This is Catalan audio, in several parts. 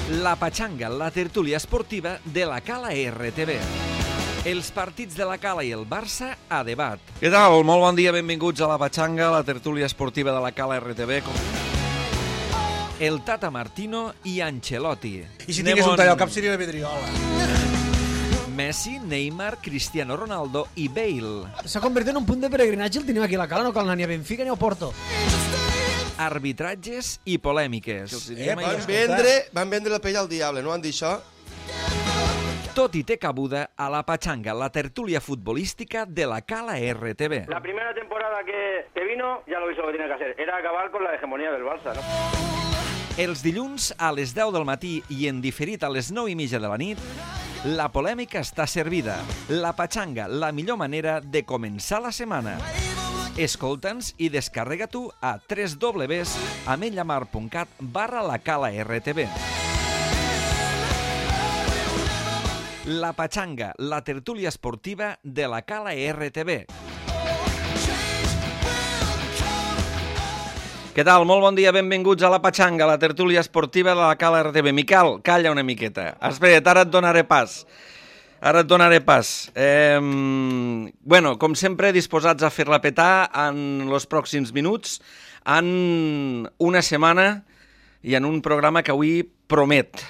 La Patxanga, la tertúlia esportiva de la Cala RTV. Els partits de la Cala i el Barça a debat. Què tal? Molt bon dia, benvinguts a la Patxanga, la tertúlia esportiva de la Cala RTV. El Tata Martino i Ancelotti. I si tingués un tall al cap seria la Vidriola. Messi, Neymar, Cristiano Ronaldo i Bale. S'ha convertit en un punt de peregrinatge, el tenim aquí a la Cala, no cal anar ni a Benfica ni a Porto. Arbitratges i polèmiques. Van vendre la pell al diable, no van dir això? Tot i té cabuda a la Patxanga, la tertúlia futbolística de la Cala RTV. La primera temporada que vino, ya lo hizo lo que tenía que hacer. Era acabar con la hegemonía del Barça, ¿no? Els dilluns a les 10 del matí i en diferit a les 9:30 de la nit, la polèmica està servida. La Patxanga, la millor manera de començar la setmana. Escolta'ns i descarrega-t'ho a www.ametlamar.cat/lacala-rtv. La Patxanga, la tertúlia esportiva de la Cala RTV. Què tal? Molt bon dia, benvinguts a la Patxanga, la tertúlia esportiva de la Cala RTV. Miquel, calla una miqueta. Espera't, ara et donaré pas. Bueno, com sempre, disposats a fer-la petar en els pròxims minuts, en una setmana i en un programa que avui promet.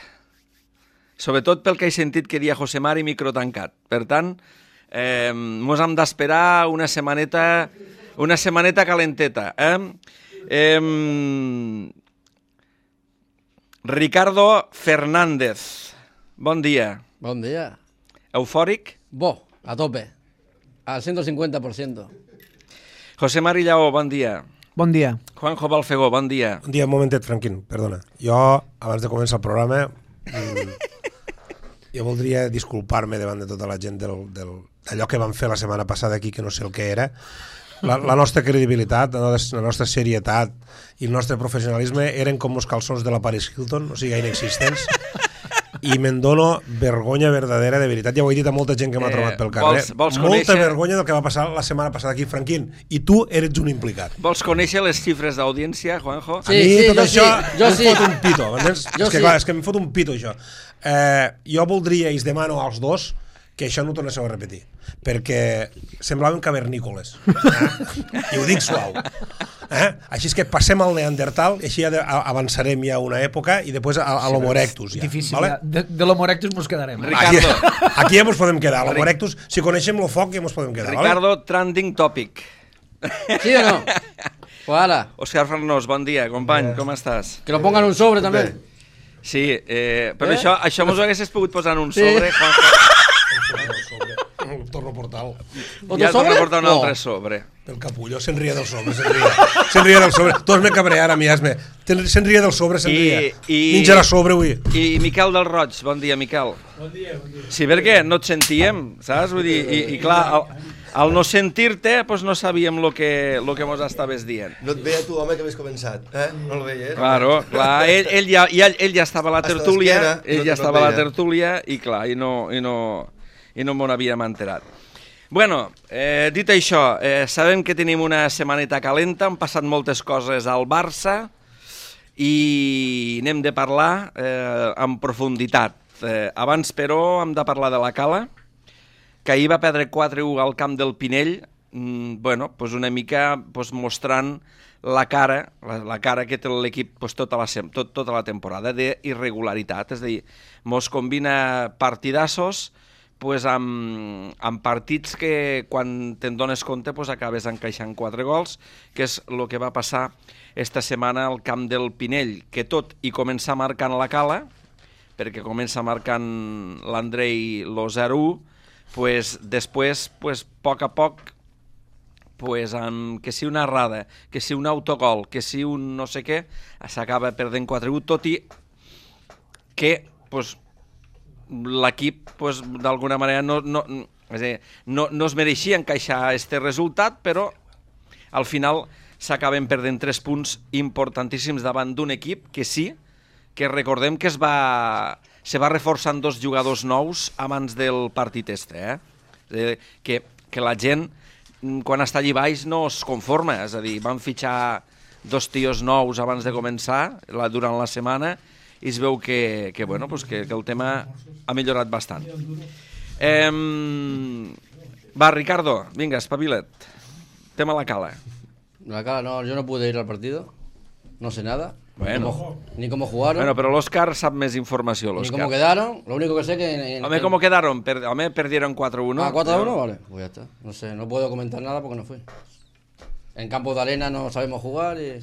Sobretot pel que he sentit que dia José Mari micro tancat. Per tant, mos hem d'esperar una setmaneta calenteta. Ricardo Fernández, bon dia. Bon dia. Eufòric? Bo, a tope. Al 150%. José Mari Lleó, bon dia. Bon dia. Juanjo Balfegó, bon dia. Un dia, un momentet, Franquín, perdona. Jo, abans de començar el programa, jo voldria disculpar-me davant de tota la gent d'allò que vam fer la setmana passada aquí, que no sé el que era. La nostra credibilitat, la nostra serietat i el nostre professionalisme eren com els calçons de la Paris Hilton, o sigui, inexistents. I me'n dono vergonya verdadera, de veritat. Ja ho he dit a molta gent que m'ha trobat pel carrer. Molta vergonya del que va passar la setmana passada aquí, Franquín. I tu eres un implicat. Vols conèixer les xifres d'audiència, Juanjo? Sí, tot això jo sí. Em fot un pito. És que em fot un pito, això. Jo voldria, i us demano als dos, que això no ho tornéssiu a repetir, perquè semblaven cavernícoles. I ho dic suau. Així és que passem al Neandertal, i així avançarem ja una època, i després a l'Homo erectus. Ja, difícil, vale? De l'Homo erectus mos quedarem. Ricardo. Aquí ja mos podem quedar. L'Homo erectus, si coneixem el foc, ja mos podem quedar. Ricardo, vale? Trending topic. ¿Sí o no? Pues ala. Òscar Farnós, bon dia, company, com estàs? Que lo pongan un sobre també. Sí, però això mos ho haguessis pogut posar en un sobre, Juanjo. Torno a portar Ja torno a portar un altre sobre. el capullo, se'n ria del sobre, se'n ria del sobre. Tots me cabrear a mi, se'n ria del sobre, se'n ria. Menjarà sobre avui. I Miquel del Roig, bon dia, Miquel. Bon dia. Sí, perquè no et sentíem, saps? Vull dir, i clar, al no sentir-te, doncs no sabíem el que mos estaves dient. No et veia tu, home, que havies començat, No el veies? Claro, clar, ell ja estava a la tertúlia, i clar, i no m'ho n'havíem enterat. Bueno, dit això, sabem que tenim una setmaneta calenta, han passat moltes coses al Barça i n'hem de parlar en profunditat. Abans, però, hem de parlar de la Cala, que ahir va perdre 4-1 al camp del Pinell, una mica mostrant la cara que té l'equip tota la temporada d'irregularitat, és a dir, mos combina partidassos amb partits que quan te'n dones compte acabes encaixant 4 gols, que és el que va passar esta setmana al camp del Pinell, que tot i començar marcant la Cala, perquè comença marcant l'Andrei lo 0-1, després, a poc a poc, que si una errada, que si un autogol, que si un no sé què, s'acaba perdent 4-1, tot i que l'equip d'alguna manera no es mereixia encaixar aquest resultat, però al final s'acaben perdent 3 punts importantíssims davant d'un equip que sí, que recordem que se va reforçant 2 jugadors nous abans del partit que la gent quan està allà baix no es conforma, és a dir, van fitxar 2 tios nous abans de començar durant la setmana i es veu que el tema ha millorat bastant. Va, Ricardo, vinga, espavila't. Tema la cala. La cara no, yo no pude ir al partido. No sé nada. Bueno. Ni cómo jugaron. Bueno, pero l'Òscar sap més informació, ni l'Òscar. cómo quedaron. Lo único que sé que... Home, ¿cómo quedaron? Home, perdieron 4-1. Ah, 4-1, vale. Pues ya está. No sé, no puedo comentar nada porque no fui. En campo de arena no sabemos jugar y...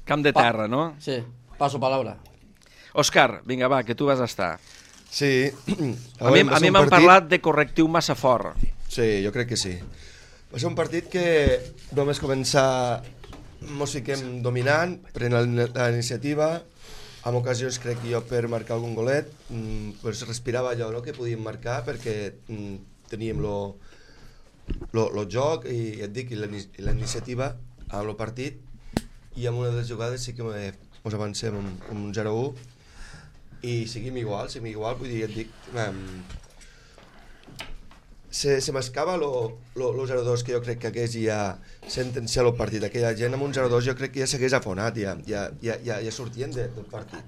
Camp de terra, no? Sí, paso palabra. Òscar, vinga, va, que tu vas estar. Sí. A mi m'han parlat de correctiu massa fort. Sí, jo crec que sí. Va ser un partit que només començar mos fiquem dominant, prenent la iniciativa, en ocasions crec jo per marcar algun golet, pues respirava allò, no?, que podíem marcar perquè teníem lo joc i et dic, i la iniciativa amb el partit, i amb una de les jugades sí que ens avancem amb un 0-1 i seguim igual, vull dir, et dic, se m'escava lo 0-2 que jo crec que hagués ja sentenciat el partit. Aquella gent amb un 0-2 jo crec que ja s'hagués afonat, ja sortien del partit.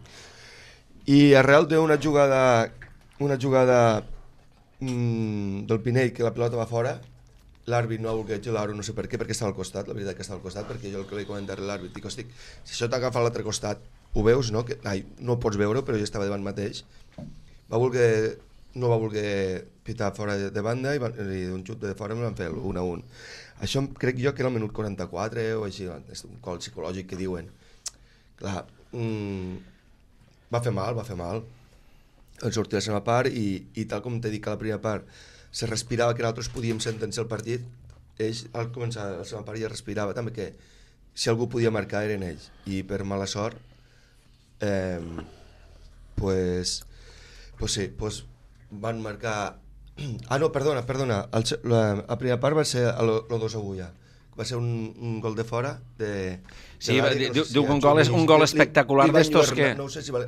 I arrel d'una jugada del Pinell que la pilota va fora, l'àrbit no ha volgut xiular-ho, no sé per què, perquè estava al costat, la veritat que estava al costat, perquè jo el que li comentava a l'àrbit, dic, hosti, si això t'agafa a l'altre costat, ho veus, no? No ho pots veure, però jo estava davant mateix. No va voler pitar fora de banda i d'un xut de fora me van fer el 1-1. Això crec jo que era el minut 44 o així, és un gol psicològic que diuen. Clar, va fer mal. El sortir a la seva part i tal com t'he dit que a la primera part se respirava que nosaltres podíem sentenciar el partit, ells al començar la seva part ja respirava també que si algú podia marcar eren ells i per mala sort pues van marcar... Ah, no, perdona. La primera part va ser el 2-1 ja. Va ser un gol de fora de sí, diu que un gol espectacular d'estos que... No sé si vale.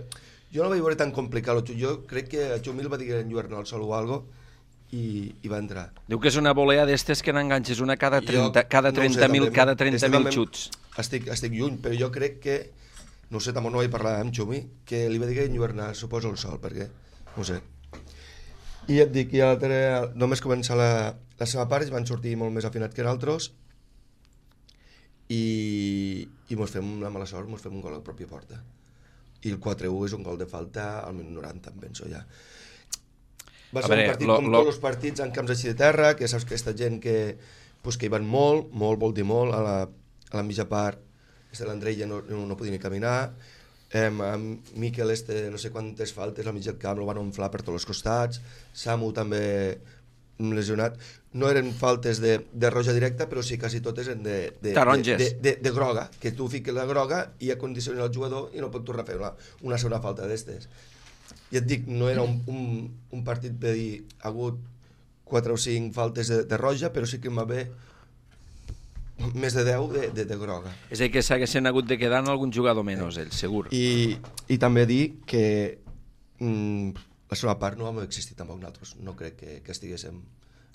Jo no vaig veure tan complicat. Jo crec que a Xumil va dir que enlluernar el sol o algo i va entrar. Diu que és una volea d'estes que n'enganxes una cada 30.000 xuts. Estic lluny, però jo crec que... No sé, tampoc no vaig parlar amb Xumi, que li va dir que enlluernar, suposo, el sol, perquè... No sé. I et dic, només començar la seva part, ells van sortir molt més afinats que nosaltres i mos fem una mala sort, mos fem un gol a la pròpia porta. I el 4-1 és un gol de falta al minut 90, em penso ja. Va ser un partit com tots els partits en camps així de terra, que saps que aquesta gent que hi van molt, vol dir molt, a la mitja part l'Andrei ja no podia ni caminar, amb Miquel no sé quantes faltes al mig del camp, el van inflar per tots els costats, Samu també lesionat, no eren faltes de roja directa, però sí quasi totes eren de groga, que tu fiques la groga i acondiciona el jugador i no pot tornar a fer una segona falta d'estes. I et dic, no era un partit per dir, ha hagut 4 o 5 faltes de roja, però sí que va haver més de 10 de groga. És a dir, que s'haguessin hagut de quedar en algun jugador menys, ells, segur. I també dir que la segona part no vam existir tampoc nosaltres. No crec que estiguéssim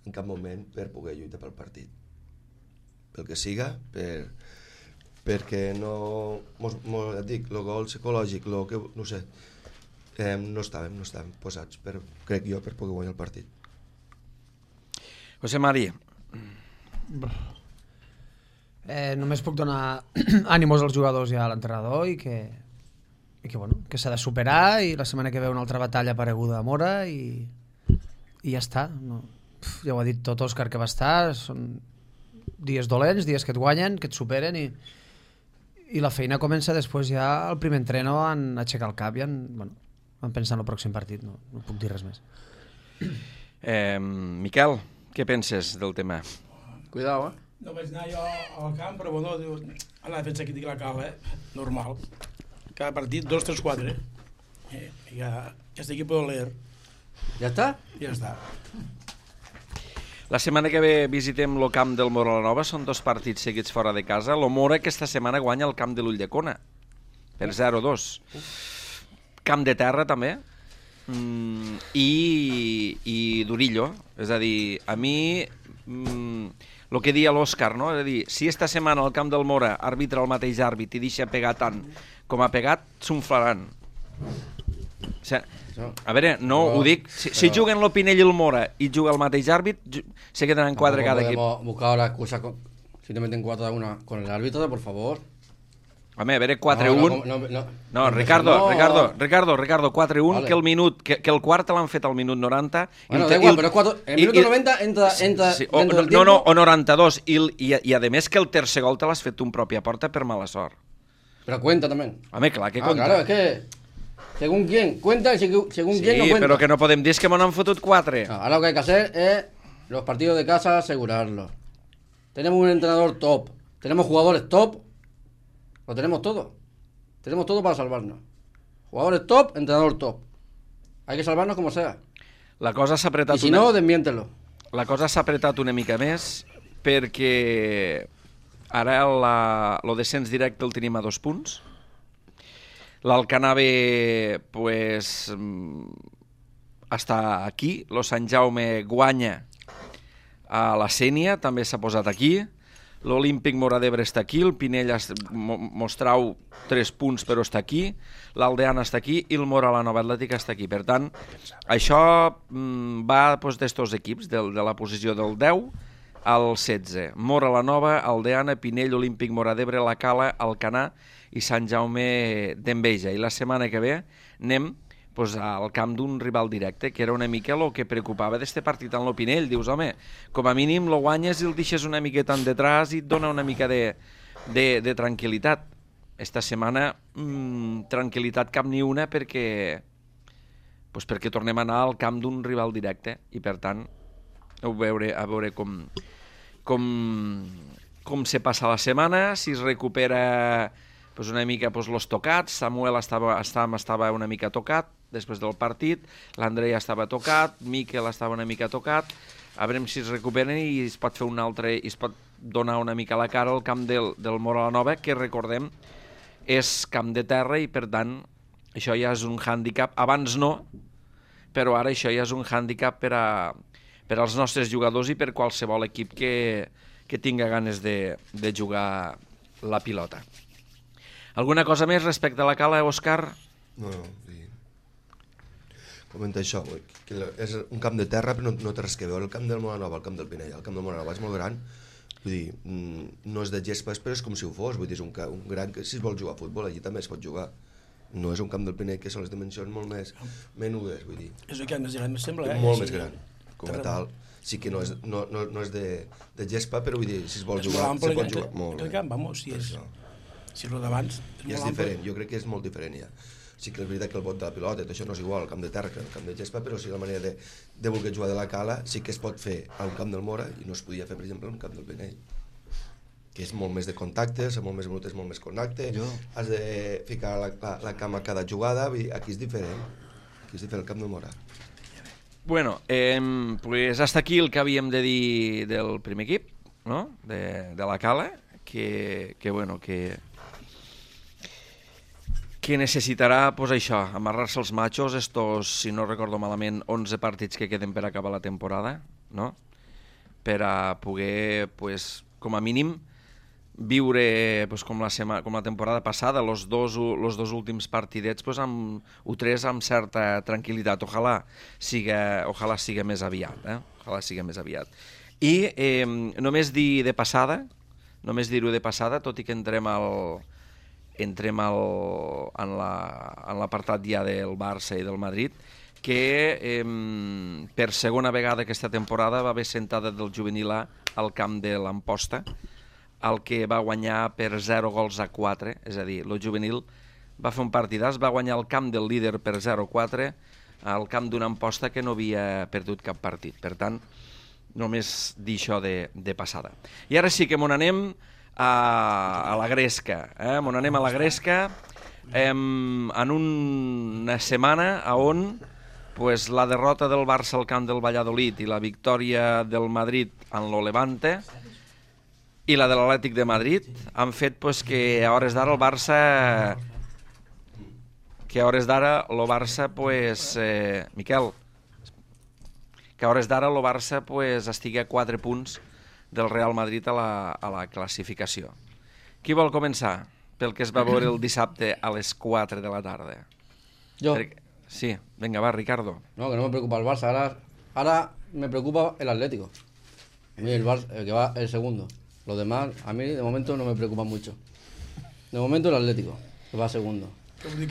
en cap moment per poder lluitar pel partit. Pel que siga, perquè no... Et dic, el gol psicològic, no sé, no estàvem posats, crec jo, per poder guanyar el partit. José Mari. Només puc donar ànimos als jugadors i a l'entrenador i que s'ha de superar i la setmana que ve una altra batalla apareguda a Mora i ja està. Ja ho ha dit tot Òscar que va estar, són dies dolents, dies que et guanyen, que et superen i la feina comença després ja el primer entreno en aixecar el cap i en pensar en el pròxim partit, no puc dir res més. Miquel, què penses del tema? Cuidao, No vaig anar jo al camp, però bueno, a la defensa crítica la cala, normal. Cada partit, 2, 3, 4. Ja este equipo de leer. Ja està? Ja està. La setmana que ve visitem el camp del Mora la Nova, són 2 partits seguits fora de casa. El Mora aquesta setmana guanya el camp de l'Ulldecona, per 0-2. Camp de terra també, i d'Urillo. És a dir, a mi... el que deia l'Òscar, no? És a dir, si esta setmana al camp del Mora arbitra el mateix àrbit i deixa pegar tant com ha pegat, s'unflaran. A veure, no ho dic, si juguen l'Opinell i el Mora i juga el mateix àrbit, se quedaran 4 cada equip. Buscar ahora excusa si te meten 4 a 1 con el árbitro, por favor. Home, a veure, 4-1... No, Ricardo, 4-1, que el quart l'han fet al minut 90... Bueno, da igual, pero el minuto 90 entra dentro del tiempo... No, o 92, i a més que el tercer gol te l'has fet tu en pròpia porta per mala sort. Pero cuenta también. Home, clar que cuenta. Claro, es que... Según quién, cuenta y según quién no cuenta. Sí, pero que no podem dir que m'ho han fotut 4. Ahora lo que hay que hacer es los partidos de casa asegurarlos. Tenemos un entrenador top, tenemos jugadores top, lo tenemos todo. Tenemos todo para salvarnos. Jugadores top, entrenador top. Hay que salvarnos como sea. La cosa s'ha apretat... I si no, desmiéntelo. La cosa s'ha apretat una mica més perquè ara el descens directe el tenim a 2 punts. L'Alcanave pues, està aquí. Lo Sant Jaume guanya a la Sénia, també s'ha posat aquí. L'Olímpic Móra d'Ebre està aquí, el Pinell Mostrau 3 punts però està aquí, l'Aldeana està aquí i el Móra la Nova Atlètica està aquí. Per tant, això va d'estos equips, de la posició del 10 al 16. Móra la Nova, Aldeana, Pinell, Olímpic Móra d'Ebre, la Cala, Alcanar i Sant Jaume d'Enveja. I la setmana que ve anem al camp d'un rival directe, que era una mica el que preocupava d'este partit en l'Opinell. Dius, home, com a mínim lo guanyes i el deixes una miqueta en detrás i et dona una mica de tranquil·litat. Esta setmana, tranquil·litat cap ni una perquè tornem a anar al camp d'un rival directe i per tant a veure com se passa la setmana, si es recupera una mica los tocats. Samuel estava una mica tocat després del partit, l'Andrei estava tocat, Miquel estava una mica tocat, a veure si es recuperen i es pot fer un altre, i es pot donar una mica la cara al camp del Móra la Nova, que recordem és camp de terra i per tant això ja és un hàndicap. Abans no, però ara això ja és un hàndicap per als nostres jugadors i per qualsevol equip que tinga ganes de jugar la pilota. Alguna cosa més respecte a la Cala, Òscar? No, sí. Comenta això, que és un camp de terra però no té res que veure. El camp del Móra Nova, el camp del Pinell, el camp del Móra Nova és molt gran, vull dir, no és de gespa, però és com si ho fos, vull dir, és un gran que si es vol jugar a futbol allí també es pot jugar. No és un camp del Pinell que són les dimensions molt més menudes, vull dir. És el camp més gran, em sembla, molt més gran, com a tal. Sí que no és de gespa, però vull dir, si es vol jugar, se pot jugar molt bé. El camp, vamos, si és el d'abans... I és diferent, jo crec que és molt diferent ja. Sí que és veritat que el bot de la pilota, això no és igual al camp de terra que al camp de gespa, però sí la manera de voler jugar de la Cala sí que es pot fer a un camp del Móra i no es podia fer, per exemple, a un camp del Pinell, que és molt més de contactes, molt més minutes, molt més contacte, has de ficar la cama a cada jugada, aquí és diferent, el camp del Móra. Bueno, pues hasta aquí el que havíem de dir del primer equip, no? De la Cala, que necessitarà, pues això, amarrar-se els machos, estos, si no recordo malament, 11 partits que queden per acabar la temporada, no? Per a poder, pues, com a mínim, viure pues, com la temporada passada, los dos últims partidets, pues, o 3 amb certa tranquil·litat. Ojalà siga més aviat, Ojalà siga més aviat. I només dir-ho de passada, tot i que entrem en l'apartat ja del Barça i del Madrid, que per segona vegada aquesta temporada va haver sentada del juvenil A al camp de l'Amposta, el que va guanyar per 0-4, és a dir, el juvenil va fer un partidàs, va guanyar el camp del líder per 0-4 al camp d'una Amposta que no havia perdut cap partit. Per tant, només dir això de passada. I ara sí que m'on anem a la Gresca. M'on anem a la Gresca en una setmana on pues, la derrota del Barça al camp del Valladolid i la victòria del Madrid en lo Levante i la de l'Atlètic de Madrid han fet pues, que a hores d'ara el Barça pues, Miquel, que a hores d'ara el Barça pues, estigui a 4 punts del Real Madrid a la classificació. Qui vol començar pel que es va veure el dissabte a les 4 de la tarda? Jo. Sí, venga, va, Ricardo. No, que no me preocupa el Barça. Ahora me preocupa el Atlético. A mí el Barça, el que va el segundo. Los demás, a mí de momento no me preocupan mucho. De momento el Atlético, que va segundo.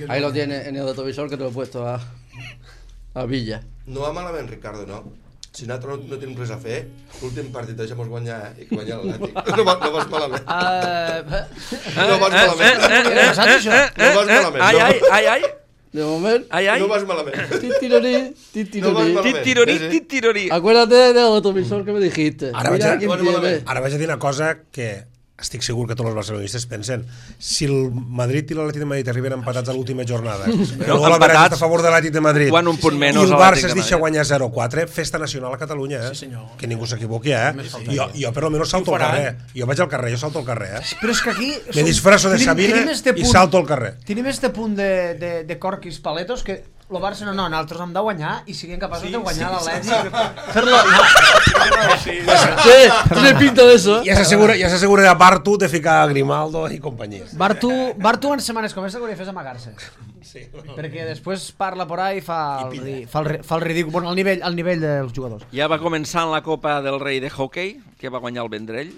Ahí lo tiene en el autovisor que te lo he puesto a Villa. No va malament, Ricardo, no? Si nosaltres no tenim res a fer, l'últim partit deixem-nos guanyar i que guanyar l'Atlètic. No vas malament. No vas malament. No vas malament. Ai. De moment, no vas malament. Titirorí. Acuérdate del autovisor que me dijiste. Ara vaig a dir una cosa que estic segur que tots els barcelonistes pensen. Si el Madrid i l'Atlètic de Madrid arriben empatats a l'última jornada, el gol a favor de l'Atlètic de Madrid, quan un punt menys, i el Barça es deixa guanyar 0-4, festa nacional a Catalunya, que ningú s'equivoqui, jo per almenys salto al carrer. Jo vaig al carrer, jo salto al carrer. Però és que aquí... Me disfrazo de Sabina i salto al carrer. Tenim este punt de corquis paletos que el Barça no, nosaltres hem de guanyar i siguem capaços de guanyar l'Atlètic. Fer-lo... Tiene pinta de eso. Ja s'assegura de Bartu de ficar a Grimaldo i companyia. Bartu en setmanes com aquesta hauria de fer amagar-se. Sí. Perquè després parla por ahí i fa el ridícul, bueno, al nivell dels jugadors. Ja va començar en la Copa del Rei de hockey, que va guanyar el Vendrell.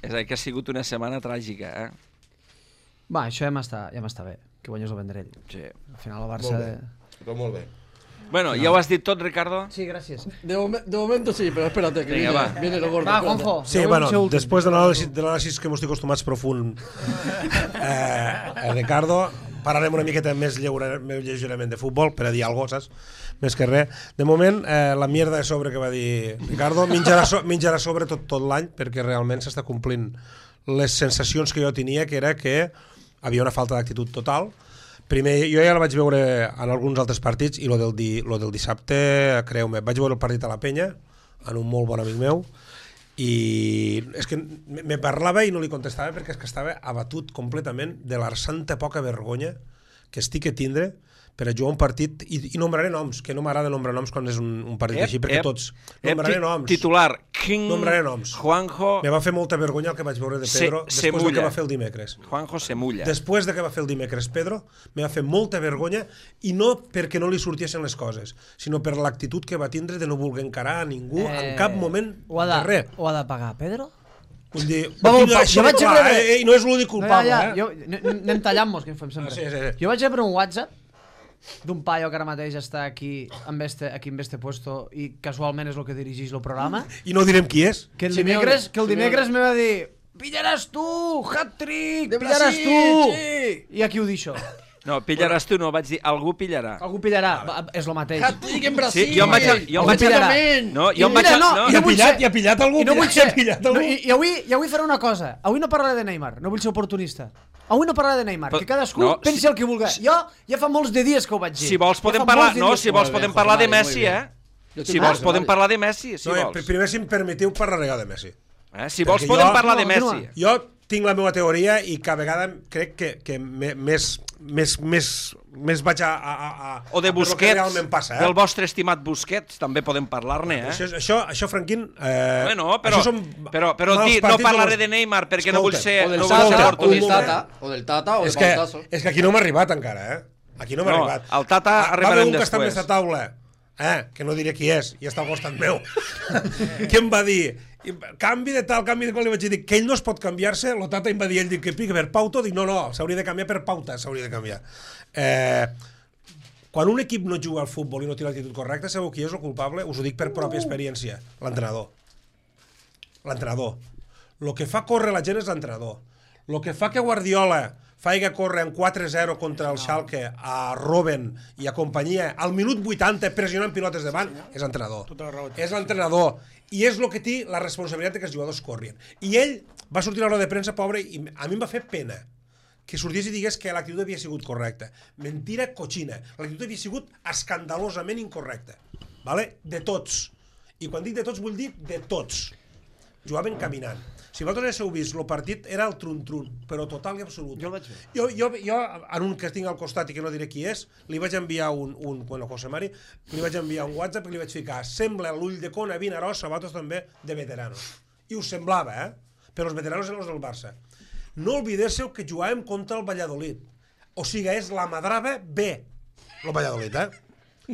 És a dir, que ha sigut una setmana tràgica, Va, això ja m'està bé, que guanyes el Vendrell. Sí. Al final el Barça... Molt bé. Bueno, ¿ya ho has dit tot, Ricardo? Sí, gracias. De momento sí, pero espérate, que viene lo gordo. Va, Juanjo. Sí, bueno, después de l'anàlisi que m'estic acostumats profund, Ricardo, parlarem una miqueta més lleugerament de futbol, per a dir alguna cosa, saps? Més que res. De moment, la mierda de sobre que va dir Ricardo menjarà sobre tot l'any, perquè realment s'està complint les sensacions que jo tenia, que era que havia una falta d'actitud total. Primer, jo ja la vaig veure en alguns altres partits i lo del dissabte, creu-me, vaig veure el partit a la Penya en un molt bon amic meu i és que me parlava i no li contestava perquè és que estava abatut completament de la santa poca vergonya que estic a tindre per a jugar un partit i nombraré noms, que no m'agrada nombrar noms quan és un partit així, perquè tots nombraré noms. Titular, King, nombraré noms. Juanjo... Me va fer molta vergonya el que vaig veure de Pedro després del que va fer el dimecres. Juanjo se mulla. Després de que va fer el dimecres Pedro, me va fer molta vergonya i no perquè no li sortiessin les coses, sinó per l'actitud que va tindre de no voler encarar a ningú en cap moment de res. Ho ha de pagar Pedro? Vull dir, no és l'únic culpable. Anem tallant-nos, que en fem sempre. Jo vaig rebre un WhatsApp d'un paio que ara mateix està aquí en este puesto i casualment és el que dirigeix el programa. I no direm qui és. Que el dimecres me va dir pillaràs tu, hat-trick, pillaràs tu. I aquí ho dic això. No, pillaràs tu no, vaig dir algú pillarà. Algú pillarà, és el mateix. Hat-trick en Brasil. Sí, jo em vaig I ha pillat algú. I avui faré una cosa. Avui no parlaré de Neymar, no vull ser oportunista. Avui no parlaré de Neymar, que cadascú pensi el que vulgui. Jo ja fa molts de dies que ho vaig dir. Si vols podem parlar de Messi, Si vols podem parlar de Messi, si vols. Primer, si em permetiu, parlaré de Messi. Si vols podem parlar de Messi. Jo tinc la meva teoria i cada vegada crec que més vaig a o de Busquets, del vostre estimat Busquets, també podem parlar-ne, Això, Franquín... Bueno, però dir, no parlaré de Neymar perquè no vull ser oportunista. O del Tata, o del Baltazo. És que aquí no m'ha arribat encara, Aquí no m'ha arribat. El Tata arribarem després. Va haver un que està més a taula, que no diré qui és, i està al costat meu, que em va dir... canvi de tal, canvi de qual, li vaig dir que ell no es pot canviar-se, el Tata em va dir, ell diu que pica per Pauto, dic no, s'hauria de canviar per Pauta, s'hauria de canviar. Quan un equip no juga al futbol i no té l'actitud correcta, sabeu qui és el culpable? Us ho dic per pròpia experiència, l'entrenador. L'entrenador. El que fa córrer la gent és l'entrenador. El que fa que Guardiola faig córrer en 4-0 contra el Schalke a Robben i a companyia al minut 80 pressionant pilotes davant, és l'entrenador. És l'entrenador. I és el que té la responsabilitat que els jugadors corrien. I ell va sortir a l'hora de premsa, pobre, i a mi em va fer pena que sortís i digués que l'actitud havia sigut correcta. Mentira cochina. L'actitud havia sigut escandalosament incorrecta. Vale? De tots. I quan dic de tots, vull dir de tots. Jugaven caminant. Si vosaltres heu vist, el partit era el trun-trun, però total i absolut. Jo el vaig fer. Jo, en un que tinc al costat i que no diré qui és, li vaig enviar José Mari, li vaig enviar un WhatsApp i li vaig ficar sembla l'ull de Cona, Vinaròs, sabatos també de veteranos. I us semblava, però els veteranos eren els del Barça. No oblidéssiu que jugàvem contra el Valladolid. O sigui, és la Madrava B. el Valladolid,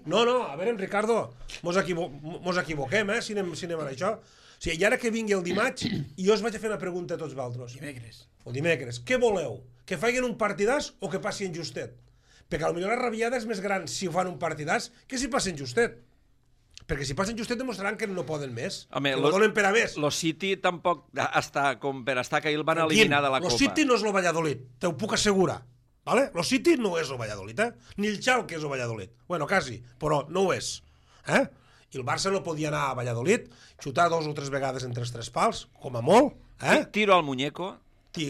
No, a veure, Ricardo, mos equivoquem, si anem a això. O sigui, i ara que vingui el dimarts, i jo us vaig a fer una pregunta a tots vosaltres. Dimecres. Què voleu? Que facin un partidàs o que passi en justet? Perquè potser la rabiada és més gran si ho fan un partidàs que si passen justet. Perquè si passen justet demostraran que no poden més. Home, que no donen per a més. Lo City tampoc està com per estar que el van eliminar de la Copa. Lo City no és el Valladolid, te ho puc assegurar. ¿Vale? Lo City no és el Valladolid, ni el Schalke és el Valladolid. Bueno, quasi, però no ho és. I el Barça no podia anar a Valladolid, xutar 2 o 3 vegades entre els 3 pals, com a molt. Tiro al muñeco.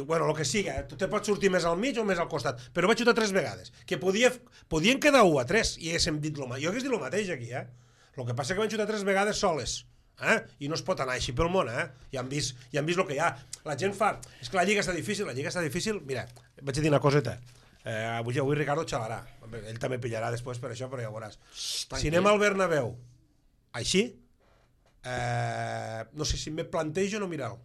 Bueno, el que siga, te pots sortir més al mig o més al costat, però vaig xutar 3 vegades, que podien quedar 1 a 3, i haguéssim dit jo hagués dit el mateix aquí, El que passa que van xutar 3 vegades soles, i no es pot anar així pel món, ja han vist el que hi ha. La gent fa... És que la Lliga està difícil, mira, vaig a dir una coseta, avui Ricardo xalarà, ell també pillarà després per això, però ja ho veuràs. Si anem al Bernabéu així, no sé si me plantejo no mirar-lo.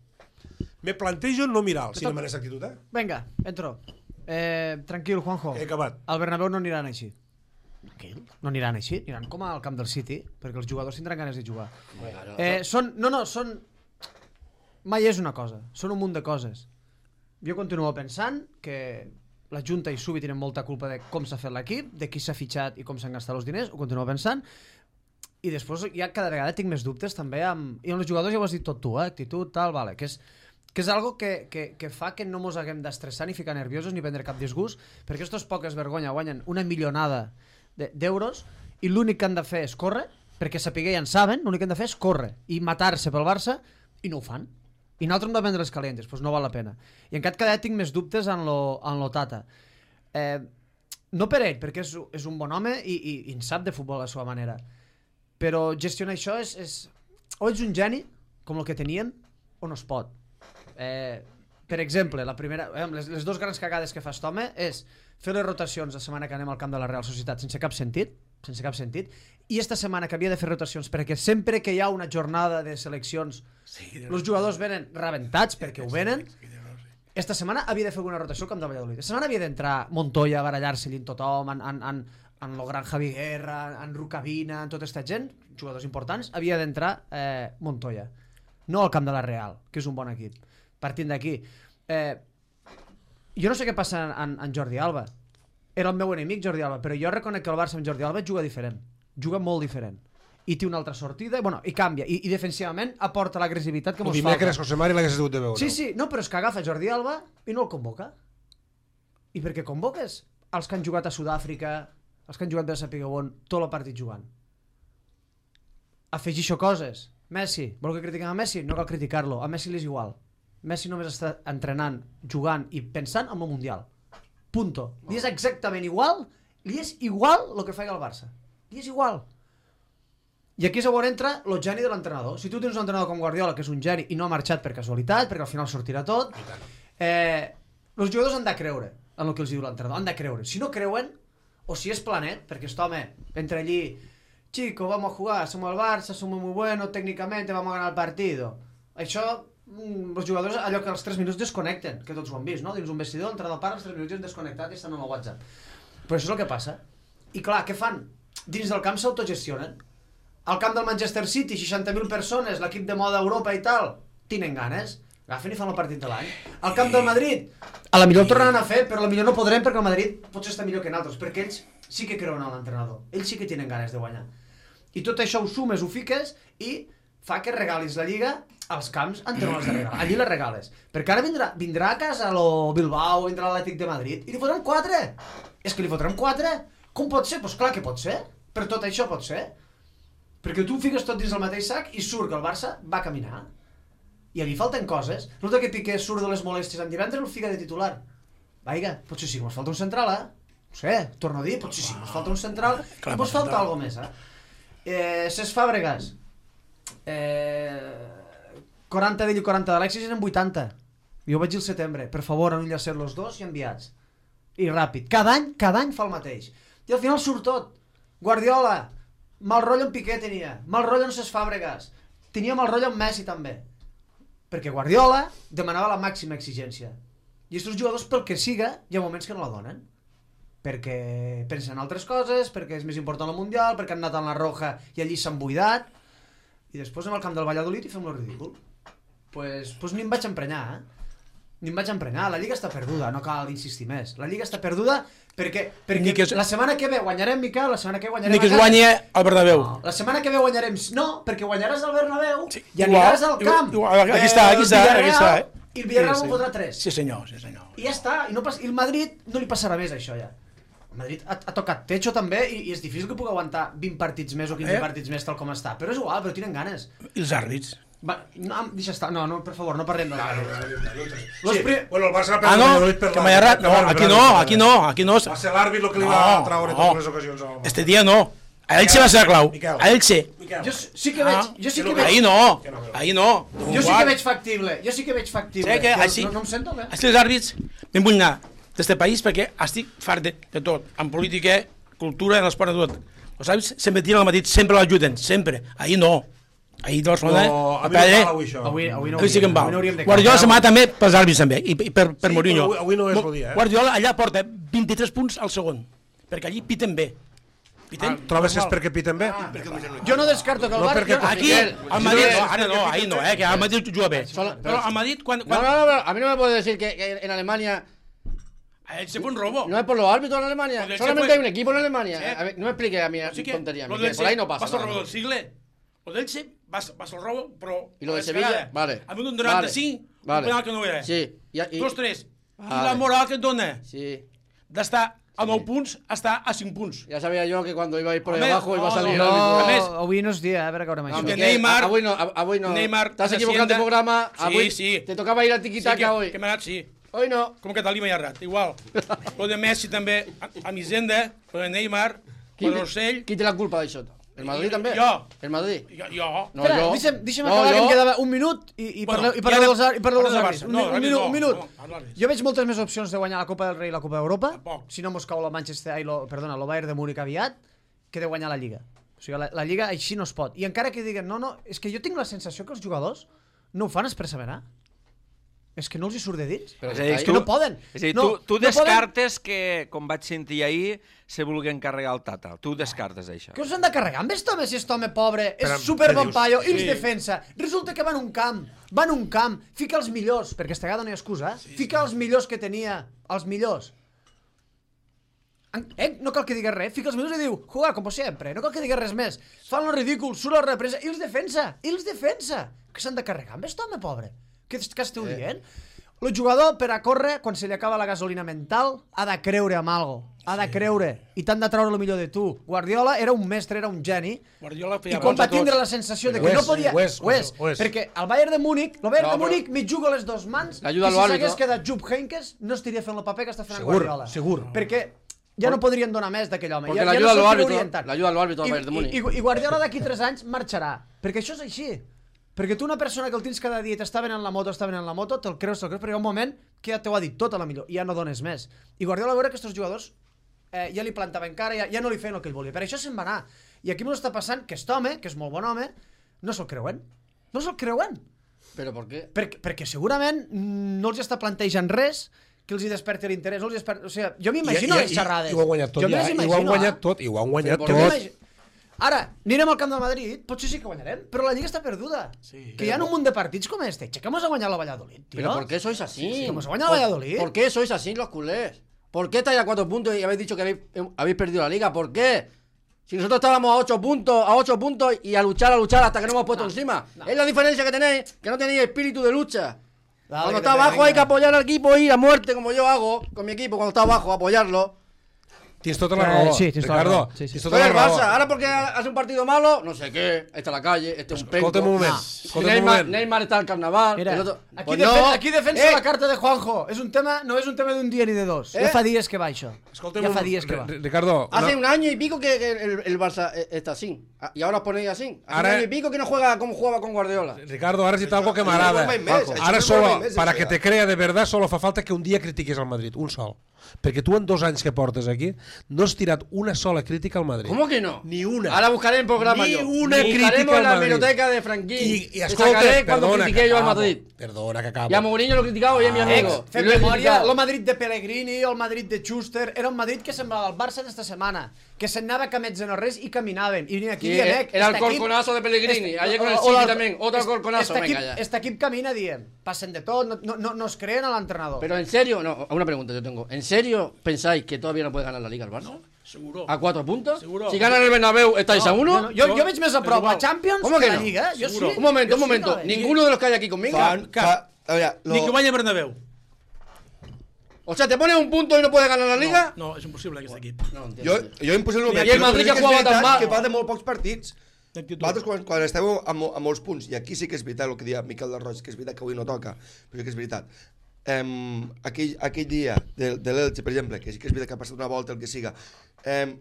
Si no me n'és actitud, Vinga, entro. Tranquil, Juanjo. He acabat. Al Bernabéu no aniran així. No aniran així, aniran com al camp del City, perquè els jugadors tindran ganes de jugar. Són... Mai és una cosa, són un munt de coses. Jo continuo pensant que la Junta i Subi tenen molta culpa de com s'ha fet l'equip, de qui s'ha fitxat i com s'han gastat els diners, ho continuo pensant, i després ja cada vegada tinc més dubtes també i amb els jugadors ja ho has dit tot tu, actitud, tal, vale, que és algo que fa que no mos haguem d'estressar ni ficar nerviosos ni prendre cap disgust, perquè estos poques vergonya guanyen una milionada d'euros i l'únic que han de fer és córrer, perquè sapiguer ja en saben, l'únic que han de fer és córrer i matar-se pel Barça, i no ho fan. I nosaltres hem de vendre les calentes, doncs no val la pena. I encara cada tinc més dubtes en lo Tata. No per ell, perquè és un bon home i en sap de futbol a la seva manera, però gestionar això o ets un geni, com el que tenien, o no es pot. Per exemple, les 2 grans cagades que fa aquest home és fer les rotacions la setmana que anem al camp de la Real Societat sense cap sentit, i esta setmana que havia de fer rotacions perquè sempre que hi ha una jornada de seleccions els jugadors venen rebentats perquè ho venen. Esta setmana havia de fer una rotació al camp de Valladolid. Esta setmana havia d'entrar Montoya a barallar-se-li en tothom, en lo gran Javi Guerra, en Rucabina, en tota aquesta gent, jugadors importants, havia d'entrar Montoya, no al camp de la Real, que és un bon equip. Partint d'aquí, jo no sé què passa en Jordi Alba. Era el meu enemic Jordi Alba, però jo reconec que el Barça amb Jordi Alba juga diferent, juga molt diferent, i té una altra sortida, i canvia, i defensivament aporta l'agressivitat que mos falta. El dimecres José Mari l'hagués hagut de veure. Sí, no, però és que agafa Jordi Alba i no el convoca. I per què convoques els que han jugat a Sud-àfrica, els que han jugat de Sapigueu on, tot el partit jugant? Afegixo coses. Messi, vol que critiquem a Messi? No cal criticar-lo, a Messi li és igual. Messi només està entrenant, jugant i pensant en el Mundial. Punto. Li és exactament igual, li és igual el que faci el Barça. Li és igual. I aquí és on entra el geni de l'entrenador. Si tu tens un entrenador com Guardiola, que és un geni i no ha marxat per casualitat, perquè al final sortirà tot, els jugadors han de creure en el que els diu l'entrenador, han de creure. Si no creuen, o si és planet, perquè aquest home entra allí, chico, vamos a jugar, somos el Barça, somos muy buenos, técnicamente vamos a ganar el partido. Això, els jugadors, allò que als 3 minuts desconnecten, que tots ho han vist, no? Dins un vestidor, l'entrenador para, als 3 minuts desconnectat i estan en el WhatsApp. Però això és el que passa. I clar, què fan? Dins del camp s'autogestionen. Al camp del Manchester City, 60.000 persones, l'equip de moda Europa i tal, tenen ganes, agafen i fan el partit de l'any. Al camp del Madrid, a la millor el tornaran a fer, però a la millor no podrem perquè el Madrid potser està millor que nosaltres, perquè ells sí que creuen en l'entrenador, ells sí que tenen ganes de guanyar. I tot això ho sumes, ho fiques i fa que regalis la Lliga als camps on no l'has de regalar. Allí les regales. Perquè ara vindrà a casa lo Bilbao, vindrà l'Atlètic de Madrid i li fotran 4. És que li fotran 4? Com pot ser? Doncs clar que pot ser. Per tot això pot ser. Perquè tu fiques tot dins el mateix sac i surt que el Barça va caminar. I a mi falten coses. No que Piqué surt de les molèsties en divendres el fica de titular. Vaiga, potser sí que ens falta un central, No sé, torno a dir, potser sí que ens falta un central i ens falta alguna més, Ses Fàbregas, 40 d'ell i 40 d'Alexis eren 80. Jo vaig dir el setembre, per favor, enllacer los dos i enviats. I ràpid. Cada any fa el mateix. I al final surt tot. Guardiola, mal rotllo en Piqué tenia, mal rotllo en Ses Fàbregas, tenia mal rotllo en Messi també. Perquè Guardiola demanava la màxima exigència. I aquests jugadors, pel que siga, hi ha moments que no la donen. perquè pensen en altres coses, perquè és més important el Mundial, perquè han anat en la Roja i allí s'han buidat, i després anem al camp del Valladolid i fem lo ridícul. Pues ni em vaig emprenyar, Ni em vaig emprenyar, la Lliga està perduda, no cal insistir més. La Lliga està perduda perquè la setmana que ve guanyarem, Miquel, la setmana que ve guanyarem... Ni que es guanyi al Bernabéu. No, la setmana que ve guanyarem... No, perquè guanyaràs al Bernabéu i aniràs al camp. Aquí està. I el Villarreal ho fotrà 3. Sí, senyor. I ja està, i el Madrid no li passarà més això ja. El Madrid ha tocat techo també i és difícil que pugui aguantar 20 partits més o 15 partits més tal com està, però és igual, però tenen ganes. I els àrbits? Deixa estar, no, per favor, no parlem dels àrbits. Bueno, el Barça per que m'ha errat, aquí no. Va ser l'àrbit el que li va traure totes les ocasions. Este dia no. A Elche va ser la clau. A Elche. Jo sí que veig... Ahí no. Jo sí que veig factible. No em sento bé. Els àrbits me'n vull anar d'este país perquè estic fart de tot. En política, cultura, en l'esport, de tot. Els àrbits sempre tiren al Madrid, sempre l'ajuden, sempre. Ahir no. Ahir de Barcelona... A mi no val avui això. Avui sí que em val. Guardiola se m'ha també pels àrbits també, i per Mourinho. Avui no és el dia, Guardiola allà porta 23 punts al segon, perquè allí piten bé. Trobes que és perquè piten bé? Jo no descarto que el Barça... Aquí, al Madrid... Ara no, ahir no, que al Madrid juga bé. Però al Madrid, quan... No, a mí no me puede decir que en Alemania... Se fue un robo. No es por los árbitros en Alemania. Solamente hay un equipo en Alemania. No me explique a mí tontería. Por ahí no pasa. Vas al robo del siglo. Lo del Elche, vas al robo, pero... ¿Y lo de Sevilla? Vale. A un 95, un penal que no era. Sí. 2-3. I la moral que et dona? Sí. D'estar a 9 punts a estar a 5 punts. Ya sabía yo que cuando iba a ir por ahí abajo iba a salir... No, avui no és dia, a veure que haurem això. Neymar... Avui no. Neymar... T'has equivocat de programa. Sí. Te tocaba ir a tiquitaca hoy. Que m'ha anat, sí. Hoy no. Com que Talí m'ha errat, igual. Lo de Messi també, a Misenda, lo de Neymar, lo de Rossell... Qui té la culpa d'això? El Madrid també? Jo. El Madrid? Jo. No, jo. Deixa'm acabar, que em quedava un minut i parleu dels àrbits. Un minut. Jo veig moltes més opcions de guanyar la Copa del Rei i la Copa d'Europa, si no mos cau el Bayern de Múnich aviat, que de guanyar la Lliga. O sigui, la Lliga així no es pot. I encara que diguen, no, és que jo tinc la sensació que els jugadors no ho fan expressament, És que no els hi surt de dins. És que no poden. És a dir, tu descartes que, com vaig sentir ahir, se vulguen carregar el Tata. Tu descartes això. Què us han de carregar amb aquest home, si aquest home pobre és superbon paio i ens defensa? Resulta que va en un camp, fica els millors, perquè aquesta vegada no hi ha excusa, fica els millors que tenia, els millors. No cal que digues res, fica els millors i diu, jugar com sempre, no cal que digues res més. Fan el ridícul, surt a la represa i els defensa. Que s'han de carregar amb aquest home pobre? Què esteu dient? El jugador, per a córrer, quan se li acaba la gasolina mental, ha de creure en algo. Ha de creure. I t'han de treure el millor de tu. Guardiola era un mestre, era un geni. I quan va tindre la sensació de que no podia... Perquè el Bayern de Múnich, mig juga a les dues mans, i si s'hagués quedat Jupp Heynckes, no estaria fent el paper que està fent Guardiola. Segur. Perquè ja no podrien donar més d'aquell home. Perquè l'ajuda a l'àrbitro al Bayern de Múnich. I Guardiola d'aquí 3 anys marxarà. Perquè això és així. Perquè tu una persona que el tens cada dia i t'està venent la moto, te'l creus, perquè hi ha un moment que ja t'ho ha dit tot a la millor, i ja no dones més. I Guardiola va veure que aquests jugadors ja li plantaven cara, ja no li feien el que ell volia. Per això se'n va anar. I aquí m'ho està passant que aquest home, que és molt bon home, no se'l creuen. Però per què? Perquè segurament no els està plantejant res que els hi desperti l'interès. O sigui, jo m'imagino les xerrades. I ho han guanyat tot ja. I ho han guanyat tot. Ara, anirem al camp del Madrid, potser sí que guanyarem, però la Lliga està perduda. Que hi ha un munt de partits com este. Que hemos a guanyar la Valladolid, tío. ¿Pero por qué sois así? Que hemos a guanyar la Valladolid. ¿Por qué sois así los culés? ¿Por qué estáis a 4 puntos y habéis dicho que habéis perdido la Liga? ¿Por qué? Si nosotros estábamos a 8 puntos y a luchar hasta que nos hemos puesto encima. Es la diferencia que tenéis, que no tenéis espíritu de lucha. Cuando está abajo hay que apoyar al equipo y ir a muerte, como yo hago con mi equipo cuando está abajo, apoyarlo. Tienes tota la raó, Ricardo. Soy el Barça, ahora porque hace un partido malo, no sé qué, está la calle, este es un penco. Neymar está al carnaval. Mira, aquí defensa la carta de Juanjo. No es un tema d'un dia ni de dos. Ja fa dies que va això. Ja fa dies que va. Ricardo, hace un año y pico que el Barça está así. Y ahora os ponéis así. Hace un año y pico que no juega como jugaba con Guardiola. Ricardo, ahora necesita algo que me agrada. Ahora solo, para que te crea de verdad, solo fa falta que un día critiques al Madrid. Un sol. Perquè tu en 2 anys que portes aquí no has tirat una sola crítica al Madrid. ¿Cómo que no? Ni una. Ahora buscaré el programa Ni yo. una crítica Buscaremos al en la Madrid. biblioteca de Franquín. I escolta, sacaré cuando perdona, critiqué que yo al acabo. Madrid. Perdona, que acabo. Y a Mourinho lo he criticado y es mi amigo. Fem Y lo he memòria, criticado. el Madrid de Pellegrini, el Madrid de Schuster, era un Madrid que semblava el Barça d'esta setmana, que se'n anava camets de no res i caminaven. I venien aquí Sí, dient, era el colconazo de Pellegrini. Ayer con el City también, otro colconazo. Venga, ya. Este equip camina, diem, passen de tot, no es creen a l'entrenador. Pero en serio, no, una pregunta yo tengo. ¿En serio pensáis que todavía no puede ganar la Liga el Barça? No, seguro. ¿A 4 puntos? Seguro. Si ganan el Bernabéu, ¿estáis a 1? Jo veig més a prop la Champions ¿Cómo que que la no? Lliga. Jo sí. Un momento, Jo un sí momento. que la veig. Ninguno de los que hay aquí conmigo. A veure, Ni que vaya a Bernabéu. O sea, ¿te pones un punto y no puedes ganar la Liga? No, és impossible aquest equip. No, entiendo. jo impossible I el Madrid que jugava tan mal. que va de molt pocs partits. D'actitud. Vosaltres quan esteu amb molts punts, i aquí sí que és veritat el que deia Miquel de Roig, que és veritat que avui no toca, però sí que és veritat. Aquell dia de l'Elche, per exemple, que sí que és veritat que ha passat una volta, el que siga,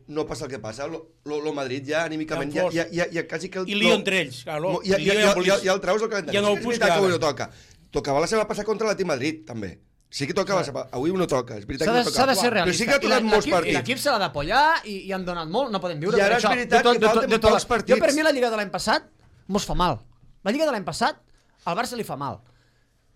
no passa el que passa, el Madrid ja anímicament ja quasi que... I lío entre ells, claro. Ja el treus del calendari. Ja no Sí que és punts veritat que avui cada. no toca. Tocava la setmana passada contra l'Atlètic Madrid, també. Sí que tocava, avui no toca, és veritat que no toca. S'ha de ser realista. Però sí que ha tocat molts partits. L'equip se l'ha d'apoyar i han donat molt, no podem viure I ara per això. és veritat que falten pocs partits. Jo, per mi, la Lliga de l'any passat mos fa mal. La Lliga de l'any passat al Barça li fa mal.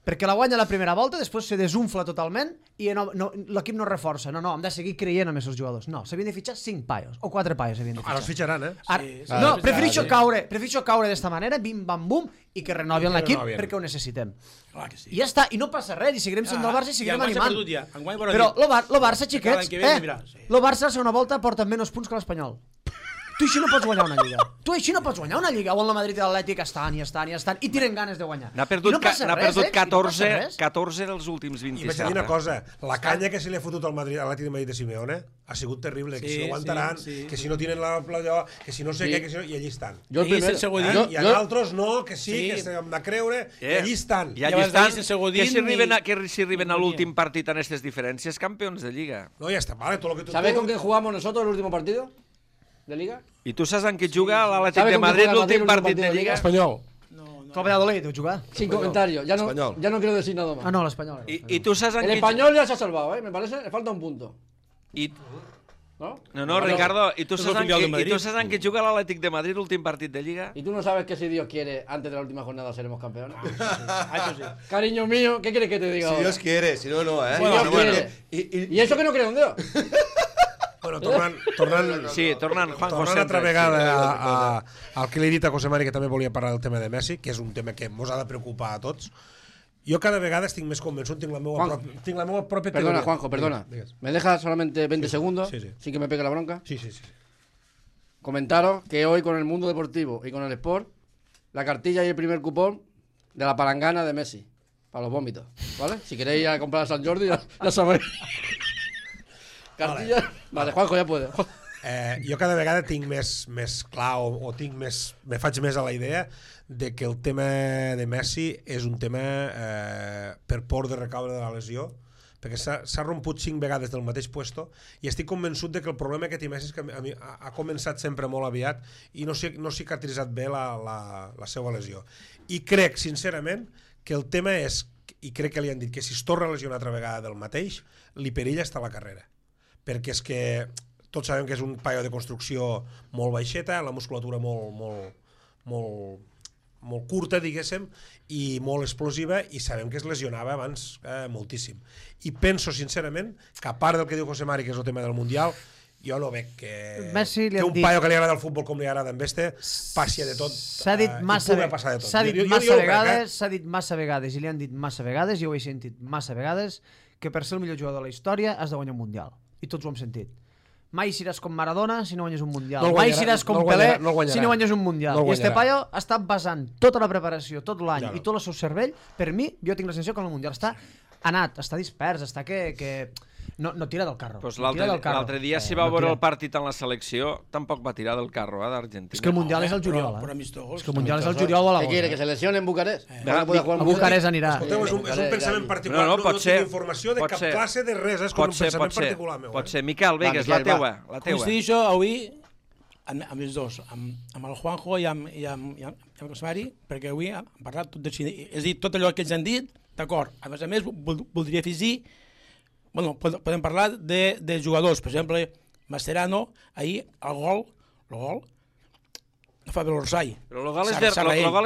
Perquè la guanya la primera volta, després se desunfla totalment i l'equip no reforça. No, hem de seguir creient en aquests jugadors. No, s'havien de fitxar 5 paios, o 4 paios s'havien de fitxar. Ara els fitxaran, No, prefereixo caure d'esta manera, bim, bam, bum, i que renovin l'equip perquè ho necessitem. Clar que sí. I ja està, i no passa res, i seguirem sent del Barça i seguirem animant. Enguany veurà Però dir. el Barça, xiquets, L'any que ve mira, sí. el Barça a la segona volta porta menys punts que l'Espanyol. Tu així no pots guanyar una Lliga. Tu així no pots guanyar una Lliga on la Madrid i l'Atlètic estan i tenen ganes de guanyar. N'ha perdut, I no passa res, 14 dels últims I vaig 27. dir una cosa, la canya que se li ha fotut al Atlètic de Madrid de Simeone ha sigut terrible, que si no aguantaran, que si no tienen allò, que si no sé què, i allí estan. Yo el I primero. sense Godín. I a altres no, que sí, que s'hem de creure, i allí estan. I allí vas estan, dir sense Godín que si arriben a l'últim partit en aquestes diferències, campions de Lliga. No, ja està, vale, tot lo que tu... ¿Sabes con quién jugamos nosotros el último partido de Liga? I tu saps en què juga l'Atlètic ¿Sabe de con quién Madrid juega el l'últim Madrid partit de Lliga? Espanyol. Que el Valladolid deu jugar. Sin comentarios. Ya Español. no quiero decir nada más. Ah, no, l'Espanyol. I tu saps en El què... español ya se ha salvado, ¿eh? Me parece, le falta un punto. ¿No? No, Ricardo, i tu És saps el en filial de què, Madrid. juga juga l'Atlètic de Madrid l'últim partit de Lliga? Y tú no sabes que si Dios quiere, antes de la última jornada seremos campeones. Això sí. Cariño mío, ¿qué quieres que te diga Si ahora? Dios quiere, si no, no, Si Dios quiere. I Y eso que no creo en Dios. Bueno, tornant Sí, tornant, Juanjo, tornant altra sempre. vegada al que li he dit a José Mari, que també volia parlar del tema de Messi, que és un tema que mos ha de preocupar a tots. Jo cada vegada estic més convençut, tinc la meva pròpia Perdona, teoria. Juanjo, perdona. Digues. ¿Me dejas solamente 20 segundos? Sí. Sin que me pegue la bronca. Sí. Comentaros que hoy con el mundo deportivo y con el sport, la cartilla y el primer cupón de la palangana de Messi. Para los vómitos, ¿vale? Si queréis ir a comprar a San Jordi, ya sabéis. Cartilla... Vale, Juanjo, ja puede. Jo cada vegada tinc més clar o tinc me faig més a la idea de que el tema de Messi és un tema per por de recaure de la lesió, perquè s'ha romput 5 vegades del mateix puesto i estic convençut de que el problema que té Messi és que a mi ha començat sempre molt aviat i no s'ha cicatritzat bé la seva lesió. I crec, sincerament, que el tema és, i crec que li han dit que si es torna a lesionar altra vegada del mateix, li perilla estar a la carrera. Perquè és que tots sabem que és un paio de construcció molt baixeta, la musculatura molt curta, diguéssim, i molt explosiva, i sabem que es lesionava abans moltíssim. I penso, sincerament, que a part del que diu José Mari, que és el tema del Mundial, jo no veig que un paio que li agrada el futbol com li agrada en Este passi de tot. S'ha dit massa vegades, s'ha dit massa vegades, i li han dit massa vegades, jo ho he sentit massa vegades, que per ser el millor jugador de la història has de guanyar un Mundial. I tots ho hem sentit. Mai seràs com Maradona si no guanyes un Mundial. Mai seràs com Pelé si no guanyes un Mundial. I este paio ha estat basant tota la preparació, tot l'any i tot el seu cervell, per mi, jo tinc la sensació que el Mundial està anat, està dispers, està que no tira del carro. Pues l'altre dia si va veure el partit en la selecció tampoc va tirar del carro d'Argentina. És que el Mundial és el juliol. És que el Mundial és el juliol o l'agost. ¿Qué quiere? ¿Que se lesione en Bucarest? A Bucarest anirà. Escolteu, és un pensament particular, no tinc informació de cap classe de res, és com un pensament particular meu. Pot ser. Miquel, vinga, és la teua. Coincidixo avui amb els dos, amb el Juanjo i amb el Cosmari, perquè avui hem parlat tot de Xina. És a dir, tot allò que ells han dit, d'acord. A més, voldria afegir Bueno, podem parlar de jugadors. Per exemple, Mascherano, ahir, el gol, no fa bé l'Orsay. Però el gol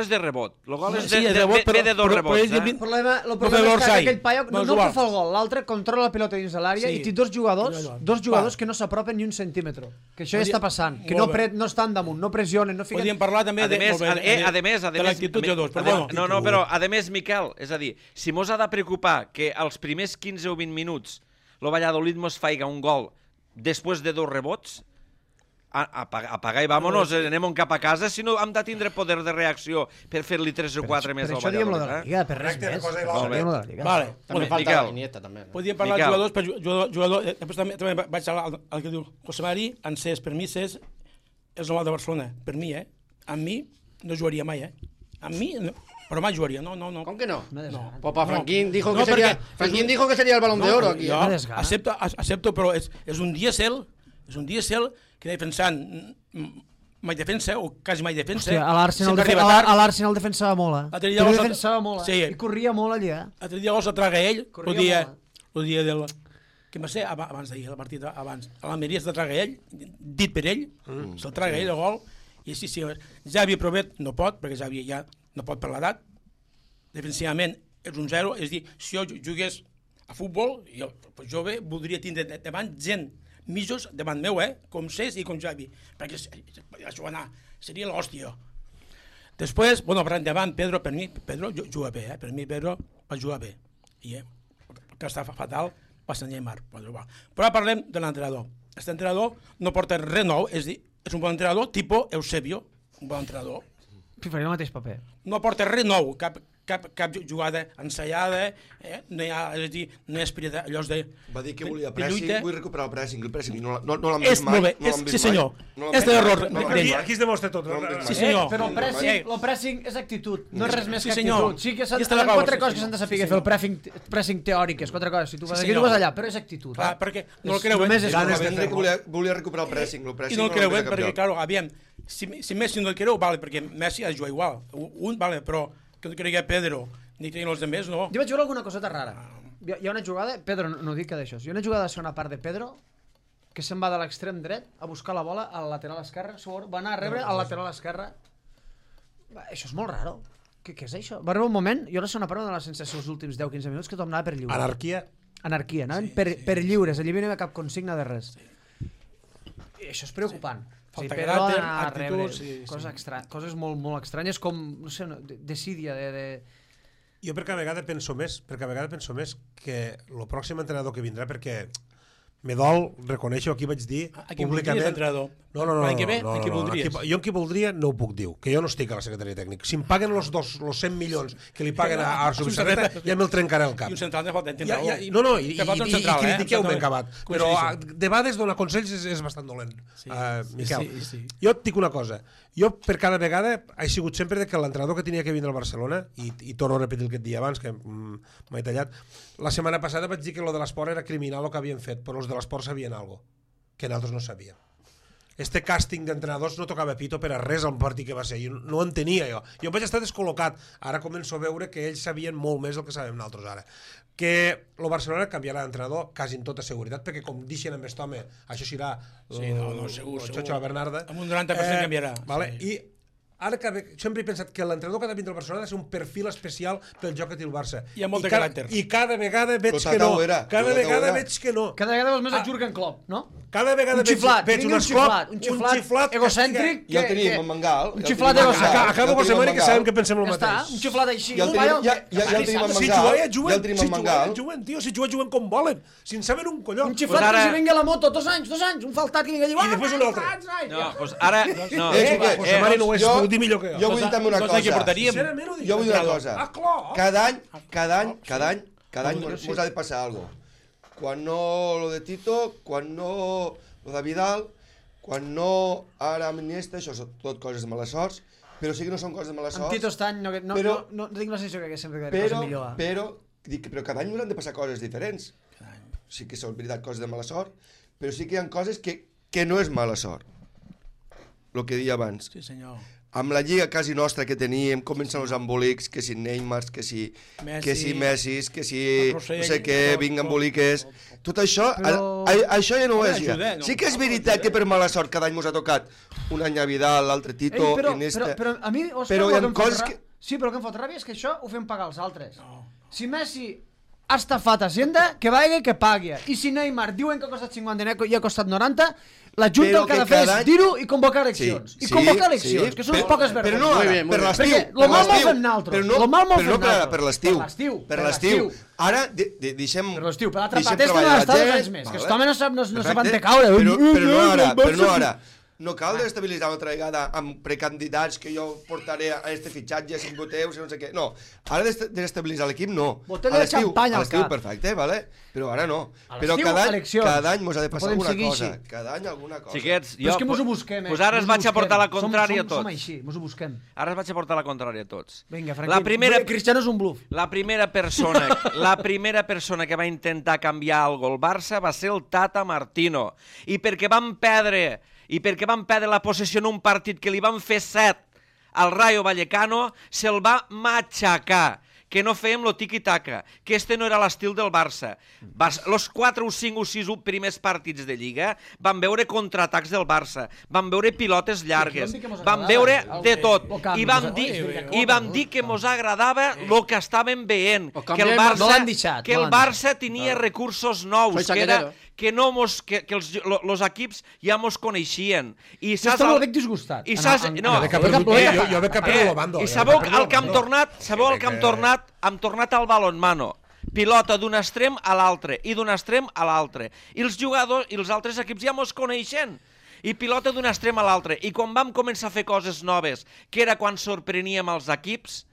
és de rebot. El gol és de rebot, ve de dos rebots. El problema és que aquell paio no que fa el gol, l'altre controla la pilota dins de l'àrea i té dos jugadors que no s'apropen ni un centímetre. Que això ja està passant, que no estan damunt, no pressionen, no fiquen... Podríem parlar també de l'actitud de dos. Però a més, Miquel, és a dir, si mos ha de preocupar que als primers 15 o 20 minuts el Valladolid mos faiga un gol després de dos rebots, apagar i vámonos, anem cap a casa, si no hem de tindre poder de reacció per fer-li 3 o 4 més al Valladolid. Per això diem-lo de la Lliga, per res més. Vale, també falta la Iniesta, també. Podríem parlar de jugadors, després també vaig al que diu José Mari, Ansés, per mi és el normal de Barcelona, per mi, a mi no jugaria mai, a mi no. Pero más jugaría, no. ¿Cómo que no? No. Papá Franquín dijo que sería el Balón de Oro aquí. Acepto, pero es un diésel que anava pensant mai defensa, o quasi mai defensa. Hòstia, a l'Arsenal defensava molt, defensava molt, i corria molt allà. L'altre dia se traga ell, el dia del... que va ser abans d'ahir, el partit abans. A l'Almeria se traga ell, dit per ell, se'l traga ell el gol, i sí, Xavi Provet no pot, perquè Xavi ja no pot per l'edat, defensivament és un 0, és a dir, si jo jugués a futbol, jo bé voldria tindre davant gent mitjos davant meu, com Cés i com Xavi, perquè seria l'hòstia. Després, parlant davant, Pedro juga bé, per mi Pedro va jugar bé, i que està fatal va ser Neymar, però parlem de l'entrenador. Aquest entrenador no porta res nou, és dir, és un bon entrenador tipus Eusebio, un bon entrenador. Faria el mateix paper. No porta res nou, cap jugada ensaiada, no hi ha, és a dir, no hi ha espirit allò de... Va dir que volia pressing, vull recuperar el pressing no l'han vist mai. Sí senyor, és l'error. Aquí es demostra tot. Sí senyor. Però el pressing és actitud, no és res més que actitud. Sí que són 4 coses que s'han de saber fer el pressing teòric, és 4 coses. Si tu vas aquí, tu vas allà, però és actitud. Perquè no el creuen. Volia recuperar el pressing. I no el creuen, perquè, clar, aviam, si Messi no el creu, vale, perquè Messi ha de jugar igual. Un, vale, però que no cregui Pedro, ni creguin els demés, no. Jo vaig veure alguna coseta rara. Hi ha una jugada, Pedro, no dic que d'això, hi ha una jugada de segona part de Pedro que se'n va de l'extrem dret a buscar la bola al lateral esquerre, va anar a rebre al lateral esquerre. Això és molt raro. Què és això? Va arribar un moment, jo la segona part de la sensació els últims 10-15 minuts que tothom anava per lliure. Anarquia, anaven per lliures, allà no hi havia cap consigna de res. I això és preocupant. Falta caràcter, actituds... Coses molt estranyes, com, no sé, desídia de... Jo per cada vegada penso més que el pròxim entrenador que vindrà, perquè me dol reconèixer, aquí vaig dir públicament... No, jo en qui voldria no ho puc dir, que jo no estic a la secretaria tècnica. Si em paguen els 100 milions que li paguen a Arso Vicerreta, ja me'l trencaré al cap. I un central de falta, i critiqueu-me acabat. Però de vegades donar consells és bastant dolent, Miquel. Jo et dic una cosa, jo per cada vegada he sigut sempre que l'entrenador que tenia que vindre al Barcelona, i torno a repetir el que et dia abans, que m'he tallat, la setmana passada vaig dir que lo de l'esport era criminal el que havien fet, però els de l'esport sabien alguna cosa que nosaltres no sabíem. Este càsting d'entrenadors no tocava pito per a res al partit que va ser, jo no ho entenia jo vaig estar descol·locat, ara començo a veure que ells sabien molt més del que sabem nosaltres ara, que el Barcelona canviarà d'entrenador quasi en tota seguretat, perquè com deixen amb aquest home, això serà segur. Xocho Bernarda, amb un 90% canviarà, i ara sempre he pensat que l'entrenador que ha de vindre al Barcelona ha de ser un perfil especial pel joc que té el Barça. Hi ha molt de caràcter. I cada vegada veig que no. Cada vegada veus més el Jürgen Klopp, no? Cada vegada veig un xiflat egocèntric. Ja el tenim, en Mangal. Un xiflat egocèntric. Acabo José Mari, que sabem que pensem el mateix. Un xiflat així. Ja el tenim en Mangal. Si juguen com volen. Si en saben un colló. Un xiflat que si vingui a la moto 2 anys, un faltat que vingui a dir... I després un altre. No, doncs ara... José Mari no ho és, ho dir millor que jo. Jo vull dir una cosa. Jo vull dir una cosa. Cada any mos ha de passar algo. Quan no lo de Tito, quan no lo de Vidal, quan no ara amb Iniesta, això són tot coses de mala sort, però sí que no són coses de mala sort. Amb Tito està any, no tinc la sensació que sempre cosa millor. Però cada any ens han de passar coses diferents. Sí que són veritat coses de mala sort, però sí que hi ha coses que no és mala sort. El que deia abans. Sí, senyor. amb la lliga quasi nostra que teníem, comencen els embolics, que si Neymar, que si Messi, que si no sé què, vinc emboliques... Tot això, això ja no ho és ja. Sí que és veritat que per mala sort cada any mos ha tocat un any a Vidal, l'altre Tito, Iniesta... Però a mi, però hi ha coses que... Sí, però el que em fot ràbia és que això ho fem pagar els altres. Si Messi ha estafat Hacienda, que vagi que pagui. I si Neymar diuen que ha costat 50 i ha costat 90... La Junta el que ha de fer és dir-ho i convocar eleccions. I convocar eleccions, que són poques vergonyes. Però no ara, per l'estiu. Perquè el mal molt fem naltros. Però no per l'estiu. Per l'estiu. Ara, deixem... Per l'estiu. Per l'altra part, és que no està 2 anys més. Que aquest home no se van de caure. Però no ara. No cal desestabilitzar una altra vegada amb precandidats que jo portaré a este fitxatge, 5 voteus i no sé què. No, ara desestabilitzar l'equip no. Botella de xampany al cap. Perfecte, vale? Però ara no. Però cada any mos ha de passar alguna cosa. Cada any alguna cosa. Xiquets, jo... Però és que mos ho busquem, Pues ara es vaig a portar la contrària a tots. Som així, mos ho busquem. Ara es vaig a portar la contrària a tots. Vinga, Franquín, Cristiano és un bluff. La primera persona que va intentar canviar algo al Barça va ser el Tata Martino. I perquè van perdre la possessió en un partit que li van fer 7 al Rayo Vallecano, se'l va matxacar, que no fèiem lo tiki-taka, que este no era l'estil del Barça. Los 4 o 5 o 6 primers partits de Lliga van veure contraatacs del Barça, van veure pilotes llargues, van veure de tot, i vam dir que mos agradava el que estàvem veient, que el Barça tenia recursos nous, que els equips ja mos coneixien. I estava molt disgustat. Jo veig que perdo la banda. I sabeu el que hem tornat? Hem tornat al balonmano. Pilota d'un extrem a l'altre i d'un extrem a l'altre. I els jugadors i els altres equips ja mos coneixen. I pilota d'un extrem a l'altre. I quan vam començar a fer coses noves, que era quan sorpreníem els equips,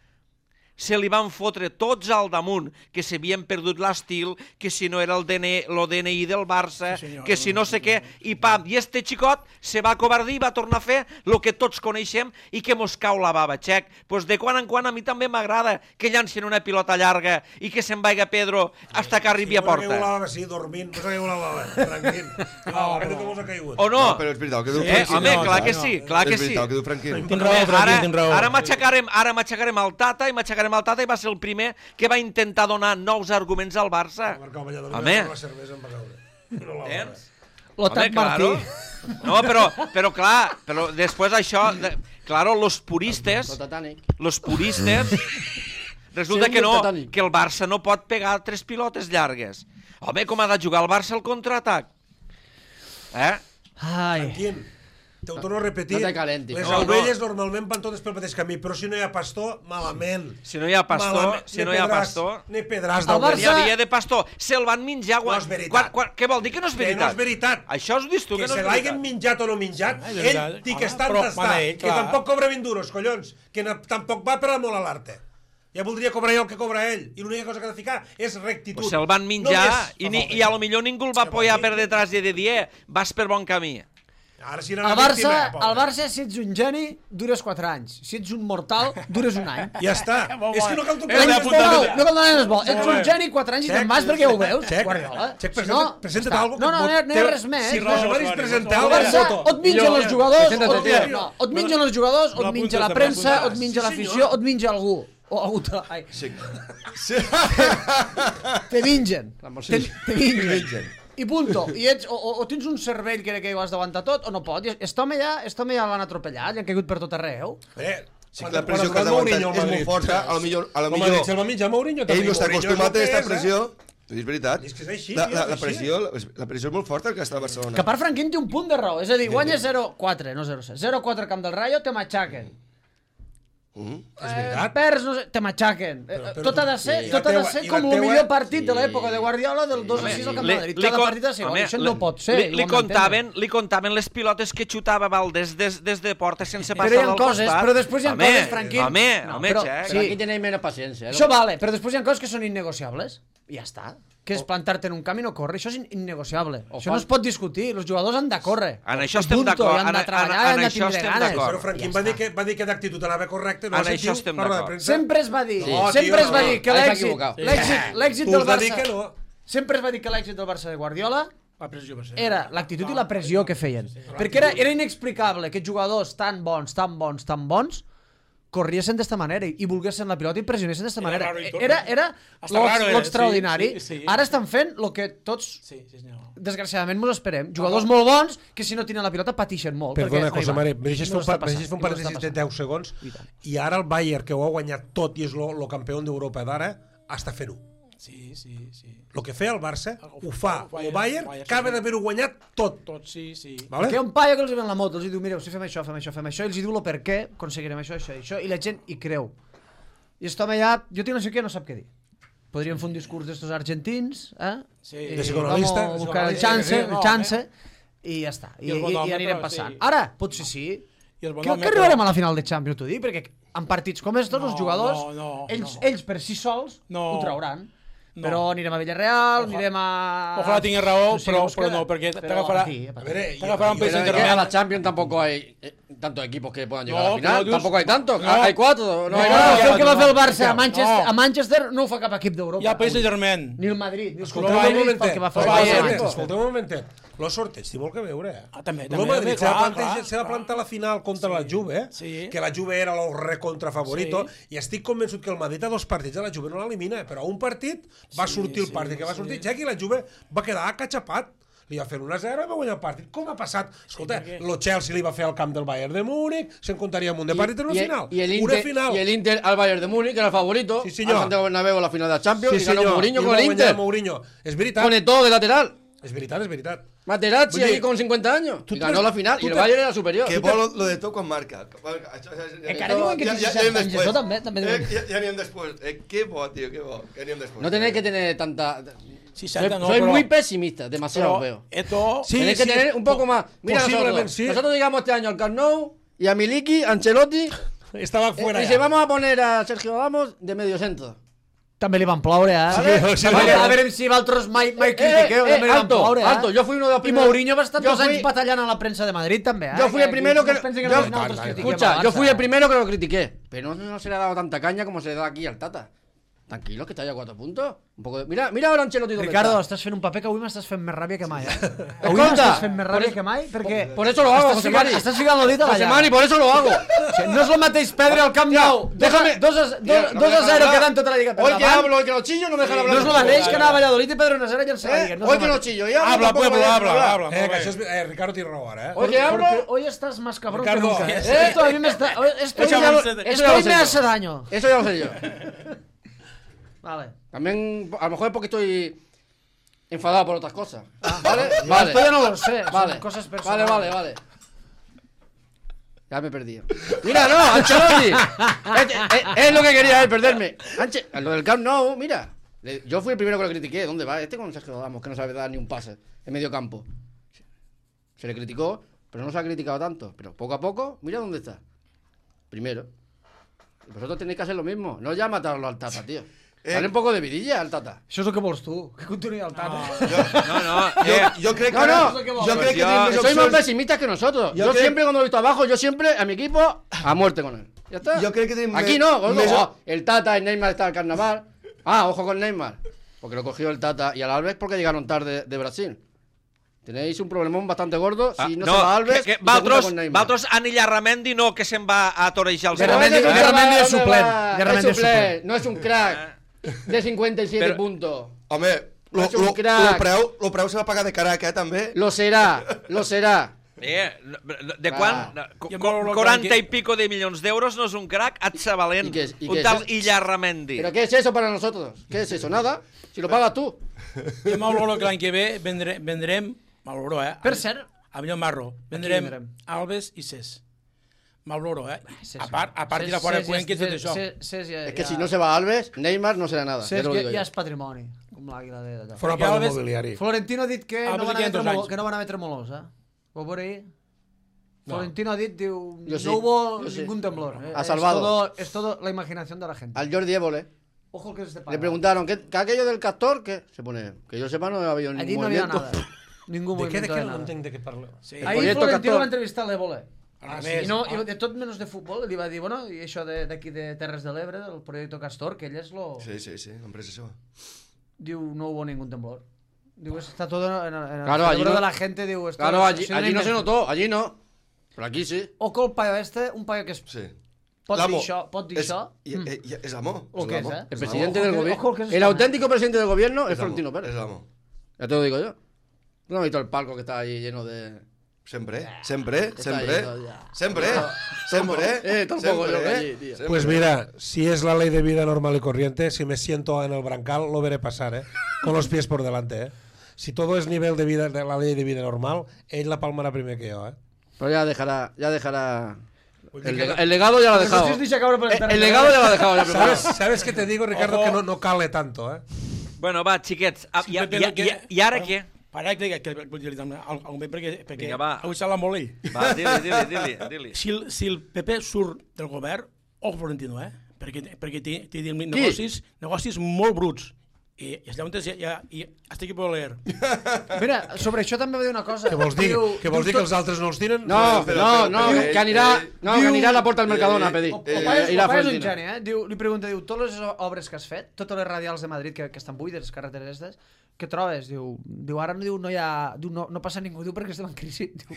se li van fotre tots al damunt, que s'havien perdut l'estil, que si no era el DNI del Barça, que si no sé què, i pam, i este xicot se va acobardir i va tornar a fer el que tots coneixem i que mos cau la bava, xec. Pues de quan en quan a mi també m'agrada que llancin una pilota llarga i que se'n vaiga Pedro hasta que arribi a porta. Sí, dormint, no s'ha caigut la bava, tranquil. O no? Però és veritat, que diu Franquín. Home, clar que sí, clar que sí. Que diu Franquín. Ara matxacarem el Tata i matxacarem el Tata i va ser el primer que va intentar donar nous arguments al Barça. Home, Home, claro. No, però clar, però després això, claro, los puristes resulta que no, que el Barça no pot pegar 3 pilotes llargues. Home, com ha de jugar el Barça al contraatac? Franquín, te ho torno a repetir, les ovelles normalment van totes pel mateix camí, però si no hi ha pastor, malament. Si no hi ha pastor, ni pedràs d'ovelles. N'hi havia de pastor, se'l van menjar. No és veritat. Què vol dir que no és veritat? Que no és veritat. Això ho dius tu, que no és veritat. Que se l'hagin menjat o no menjat, ell té que estar tastat, que tampoc cobra 20 duros, collons, que tampoc va per amor a l'arte. Ja voldria cobrar jo el que cobra ell, i l'única cosa que ha de ficar és rectitud. Se'l van menjar i a lo millor ningú el va apoyar per detrás i de dir, vas per bon camí. El Barça, si ets un geni, dures 4 anys. Si ets un mortal, dures un any. Ja està. És que no cal tocar no cal donar bo. Ets un geni 4 anys i te'n vas perquè ho veus. Guardiola. Presenta't alguna cosa. No hi ha res més. Si Rosemaris presenta alguna cosa... O et mengen els jugadors, o et mengen els jugadors, o et menja la premsa, o et menja l'afició, o et menja algú. O algú te... Te mengen. Te mengen. I punto. I ets, o tens un cervell que ho has d'aguantar tot, o no pot. Aquest home ja l'han atropellat, li han caigut per tot arreu. Sí que la pressió que ha d'aguantar és molt forta, a lo millor ell no està acostumat a aquesta pressió. És veritat. La pressió és molt forta que està a Barcelona. Que a part Franquín té un punt de raó, és a dir, guanya 0-4, no 0-6. 0-4 camp del Rayo, te matxaquen. És veritat. Perds, no sé, te matxaquen. Tot ha de ser com el millor partit de l'època de Guardiola del 2-6 al Camp de Madrid. Cada partit ha de ser, això no pot ser. Li contaven les pilotes que xutava Valdés des de porta sense passar del costat. Però després hi ha coses, Franquín. Home, però aquí tenim menys paciència. Això vale, però després hi ha coses que són innegociables. I ja està. Que és plantar-te en un camp i no córrer. Això és innegociable. Això no es pot discutir. Els jugadors han de córrer. En això estem d'acord. Han de treballar, han de tindre ganes. Però Franquín va dir que d'actitud anava correcta. En això estem d'acord. Sempre es va dir que l'èxit del Barça... Sempre es va dir que l'èxit del Barça de Guardiola La pressió va ser. era l'actitud i la pressió que feien. Perquè era inexplicable que jugadors tan bons corriessin d'esta manera i volguessin la pilota i pressionessin d'esta manera. Era l'extraordinari. Ara estan fent el que tots, desgraciadament, mos esperem. Jugadors molt bons que si no tenen la pilota patixen molt. Perdona, José María, me deixes fer un parèntesis de 10 segons i ara el Bayern, que ho ha guanyat tot i és el campió d'Europa d'ara, està fent-ho. Sí. El que feia el Barça, ho fa el Bayern, que ha d'haver-ho guanyat tot. Tot, sí. Vale? Que hi ha un paio que els ven la moto, els diu, mireu, si fem això, i els diu el per què aconseguirem això, i la gent hi creu. I aquest home ja, jo tinc no sé què, no sap què dir. Podríem fer un discurs d'estos argentins, de psicoanalista, buscar el chance, i ja està, i anirem passant. Ara, potser sí, que arribarem a la final de Champions, t'ho dic, perquè en partits com estos, els jugadors, ells per si sols ho trauran. Però anirem a Villarreal, anirem a... Ojalá tingues raó, però no, perquè t'agafarà un país intermedio. A la Champions tampoco hay tantos equipos que puedan llegar a la final. Tampoco hay tantos. Hay 4. No hay nada. El que va fer el Barça a Manchester no ho fa cap equip d'Europa. Hi ha País Saint-Germain. Ni el Madrid. Escolteu un momentet. Lo sorteig té molt que veure. També. El Madrid s'ha de plantar la final contra la Juve, que la Juve era el recontrafavorito, i estic convençut que el Madrid a 2 partits a la Juve no l'elimina, però a un partit va sortir el partit que va sortir Txec i la Juve va quedar acachapat. Li va fer 1-0 i va guanyar el partit. Com ha passat? Escolta, el Chelsea li va fer al camp del Bayern de Múnich, se'n comptaria un de partit en una final. Y el Inter al Bayern de Múnich, que era el favorito, al Santiago Bernabéu a la final de la Champions, y ganó Mourinho con el Inter. És veritat. Con todo de lateral. És veritat. Materazzi ahí con 50 años. Y ganó la final. Y el Bayern era superior. Que bo lo de tot quan marca. Encara diuen que tens 60 anys, això també diuen. Ja anirem després. Que bo, tio, que bo. Ja anirem després. No tenéis que tener tanta... Soy muy pesimista, demasiado veo. Tenéis que tener un poco más. Mira, nosotros llegamos este año al Camp Nou y a Miliki, Ancelotti, estaba fuera. Y si vamos a poner a Sergio Ramos de medio centro. També li van ploure, A veure si vosaltres mai critiqueu, també li van ploure, Alto, yo fui uno de los primeros. I Mourinho va estar 2 anys batallant a la premsa de Madrid, també, Yo fui el primero que... Escucha, yo fui el primero que lo critiqué. Pero no se le ha dado tanta caña como se le da aquí al Tata. Tranquilo, que está ya a 4 puntos. Un poco de... Mira ahora Ancelotti. Ricardo, estàs fent un paper que avui m'estàs fent més ràbia que mai, Avui m'estàs fent més ràbia que mai, perquè... Por eso lo hago, José Mari. Estàs ficant el dit a la llaga. José Mari, por eso lo hago. No és el mateix perdre al Camp Nou. 2-0 quedant tota la lliga per davant. Hoy que hablo, hoy que no chillo, no me dejan hablar. No és el mateix que anar a Valladolid i perdre 1-0 i llançar la lliga. Hoy que no chillo. Habla, pueblo, habla. Que això és... Ricardo té raó ara, Hoy que hablo... Hoy estás más cabrón que Ricardo, nunca. Esto a mí me está... Esto me hace daño. Eso ya lo sé yo. Vale. También, a lo mejor es porque estoy enfadado por otras cosas. Vale. Esto ya no lo sé. Son cosas personales. Vale. Ya me he perdido. Mira, no, Ancelotti. Es lo que quería él, perderme. Lo del Camp Nou, mira. Yo fui el primero que lo critiqué. ¿Dónde va? Con Sergio Ramos, que no sabe dar ni un pase en medio campo. Se le criticó, pero no se ha criticado tanto. Pero poco a poco, mira dónde está. Primero. Y vosotros tenéis que hacer lo mismo. No ya matarlo al Tata, tío. Dale un poco de vidilla al Tata. Això és el que vols tu, que continuï el Tata. Yo creo que soy más pesimista que nosotros. Yo siempre cuando lo he visto abajo, yo siempre a mi equipo a muerte con él. Ya está. Yo creo que aquí no, el Tata, el Neymar está al carnaval. Ojo con Neymar. Porque lo cogió el Tata y al Alves porque llegaron tarde de Brasil. Tenéis un problemón bastante gordo si no se va Alves y se junta con Neymar. Vosaltres en Illarramendi no, que se'n va a torejar els... Illarramendi és suplent. No es un crack de 57 puntos. Home, lo preu se va pagar de caraca, també. Lo será. De quan? 40 y pico de milions d'euros no és un crack, et sabalent. Un tal Illarramendi. ¿Pero qué es eso para nosotros? ¿Qué es eso? Nada. Si lo pagas tú. Jo m'auguro que l'any que ve vendrem... M'auguro, Per cert... A millor Marro. Vendrem Alves i Cés. M'auguro, A part de la fora de Cuenca i tot això. Es que si no se va Alves, Neymar no será nada. Cés ja és patrimoni, com l'àguila d'allò. Fora part del mobiliari. Florentino ha dit que no van haver tremolors, Ho veure ahí? Florentino ha dit, diu, no hubo ningún temblor. Ha salvado. Es todo la imaginación de la gente. Al Jordi Évole. Ojo que es de paga. Le preguntaron, ¿qué aquello del castor? ¿Qué? Se pone, que yo sepa, no había ningún allí no movimiento. Había nada. Ningún movimiento de nada. No entenc de què parleu. Ahí Florentino va entrevistar l'Évole. I de tot menys de futbol, li va dir, bueno, i això d'aquí de Terres de l'Ebre, del projecte Castor, que ell és lo... Sí, l'empresa seva. Diu, no hubo ningún temblor. Diu, está todo en el Claro, allí cerebro no- de la gente, diu... esto Claro, es- es una allí no se invención. notó, allí no. Pero aquí sí. O que el paio un paio que és... Sí. Pot dir L'amo. això, pot dir això. És amo. O què és, l'amo. eh? El presidente Ojo del que- gobierno. ojo que es El esta, auténtico presidente del gobierno es És amo, Florentino Pérez. És amo. Ya te lo digo yo. ¿Tú no has visto el palco que está ahí lleno de...? Sempre. Está lleno ya. Tampoco yo que allí, tío. Pues mira, si es la ley de vida normal y corriente, si me siento en el brancal, lo veré pasar, ¿eh? Con los pies por delante, ¿eh? Si todo es nivel de vida de la ley de vida normal, ell la palmarà primer que jo, ¿eh? Pero ya dejará... El legado ya lo ha dejado. si es dicha cabrón por el El legado ya lo ha dejado. Ya preparado. ¿Sabes qué te digo, Ricardo? Ojo. Que no cale tanto, ¿eh? Bueno, va, xiquets, Sí, Pepe, i ara què? Para que vull dir-li també algun bé, perquè Vinga, va. avui s'ha molt ell. Va, dili. Si el PP surt del govern, ojo Florentino, perquè té negocis molt bruts. I llavors i hasta aquí puedo leer. Mira, sobre això també va dir una cosa. Què vols dir? Que vols dir que els altres no els tiren? No, que anirà a la porta del Mercadona a pedir. El paio és Irà un Florentino. geni, li pregunta, totes les obres que has fet, totes les radials de Madrid que estan buides, les carreteres aquestes, què trobes? Diu, ara no hi ha... no passa ningú, diu, perquè estem en crisi. Diu,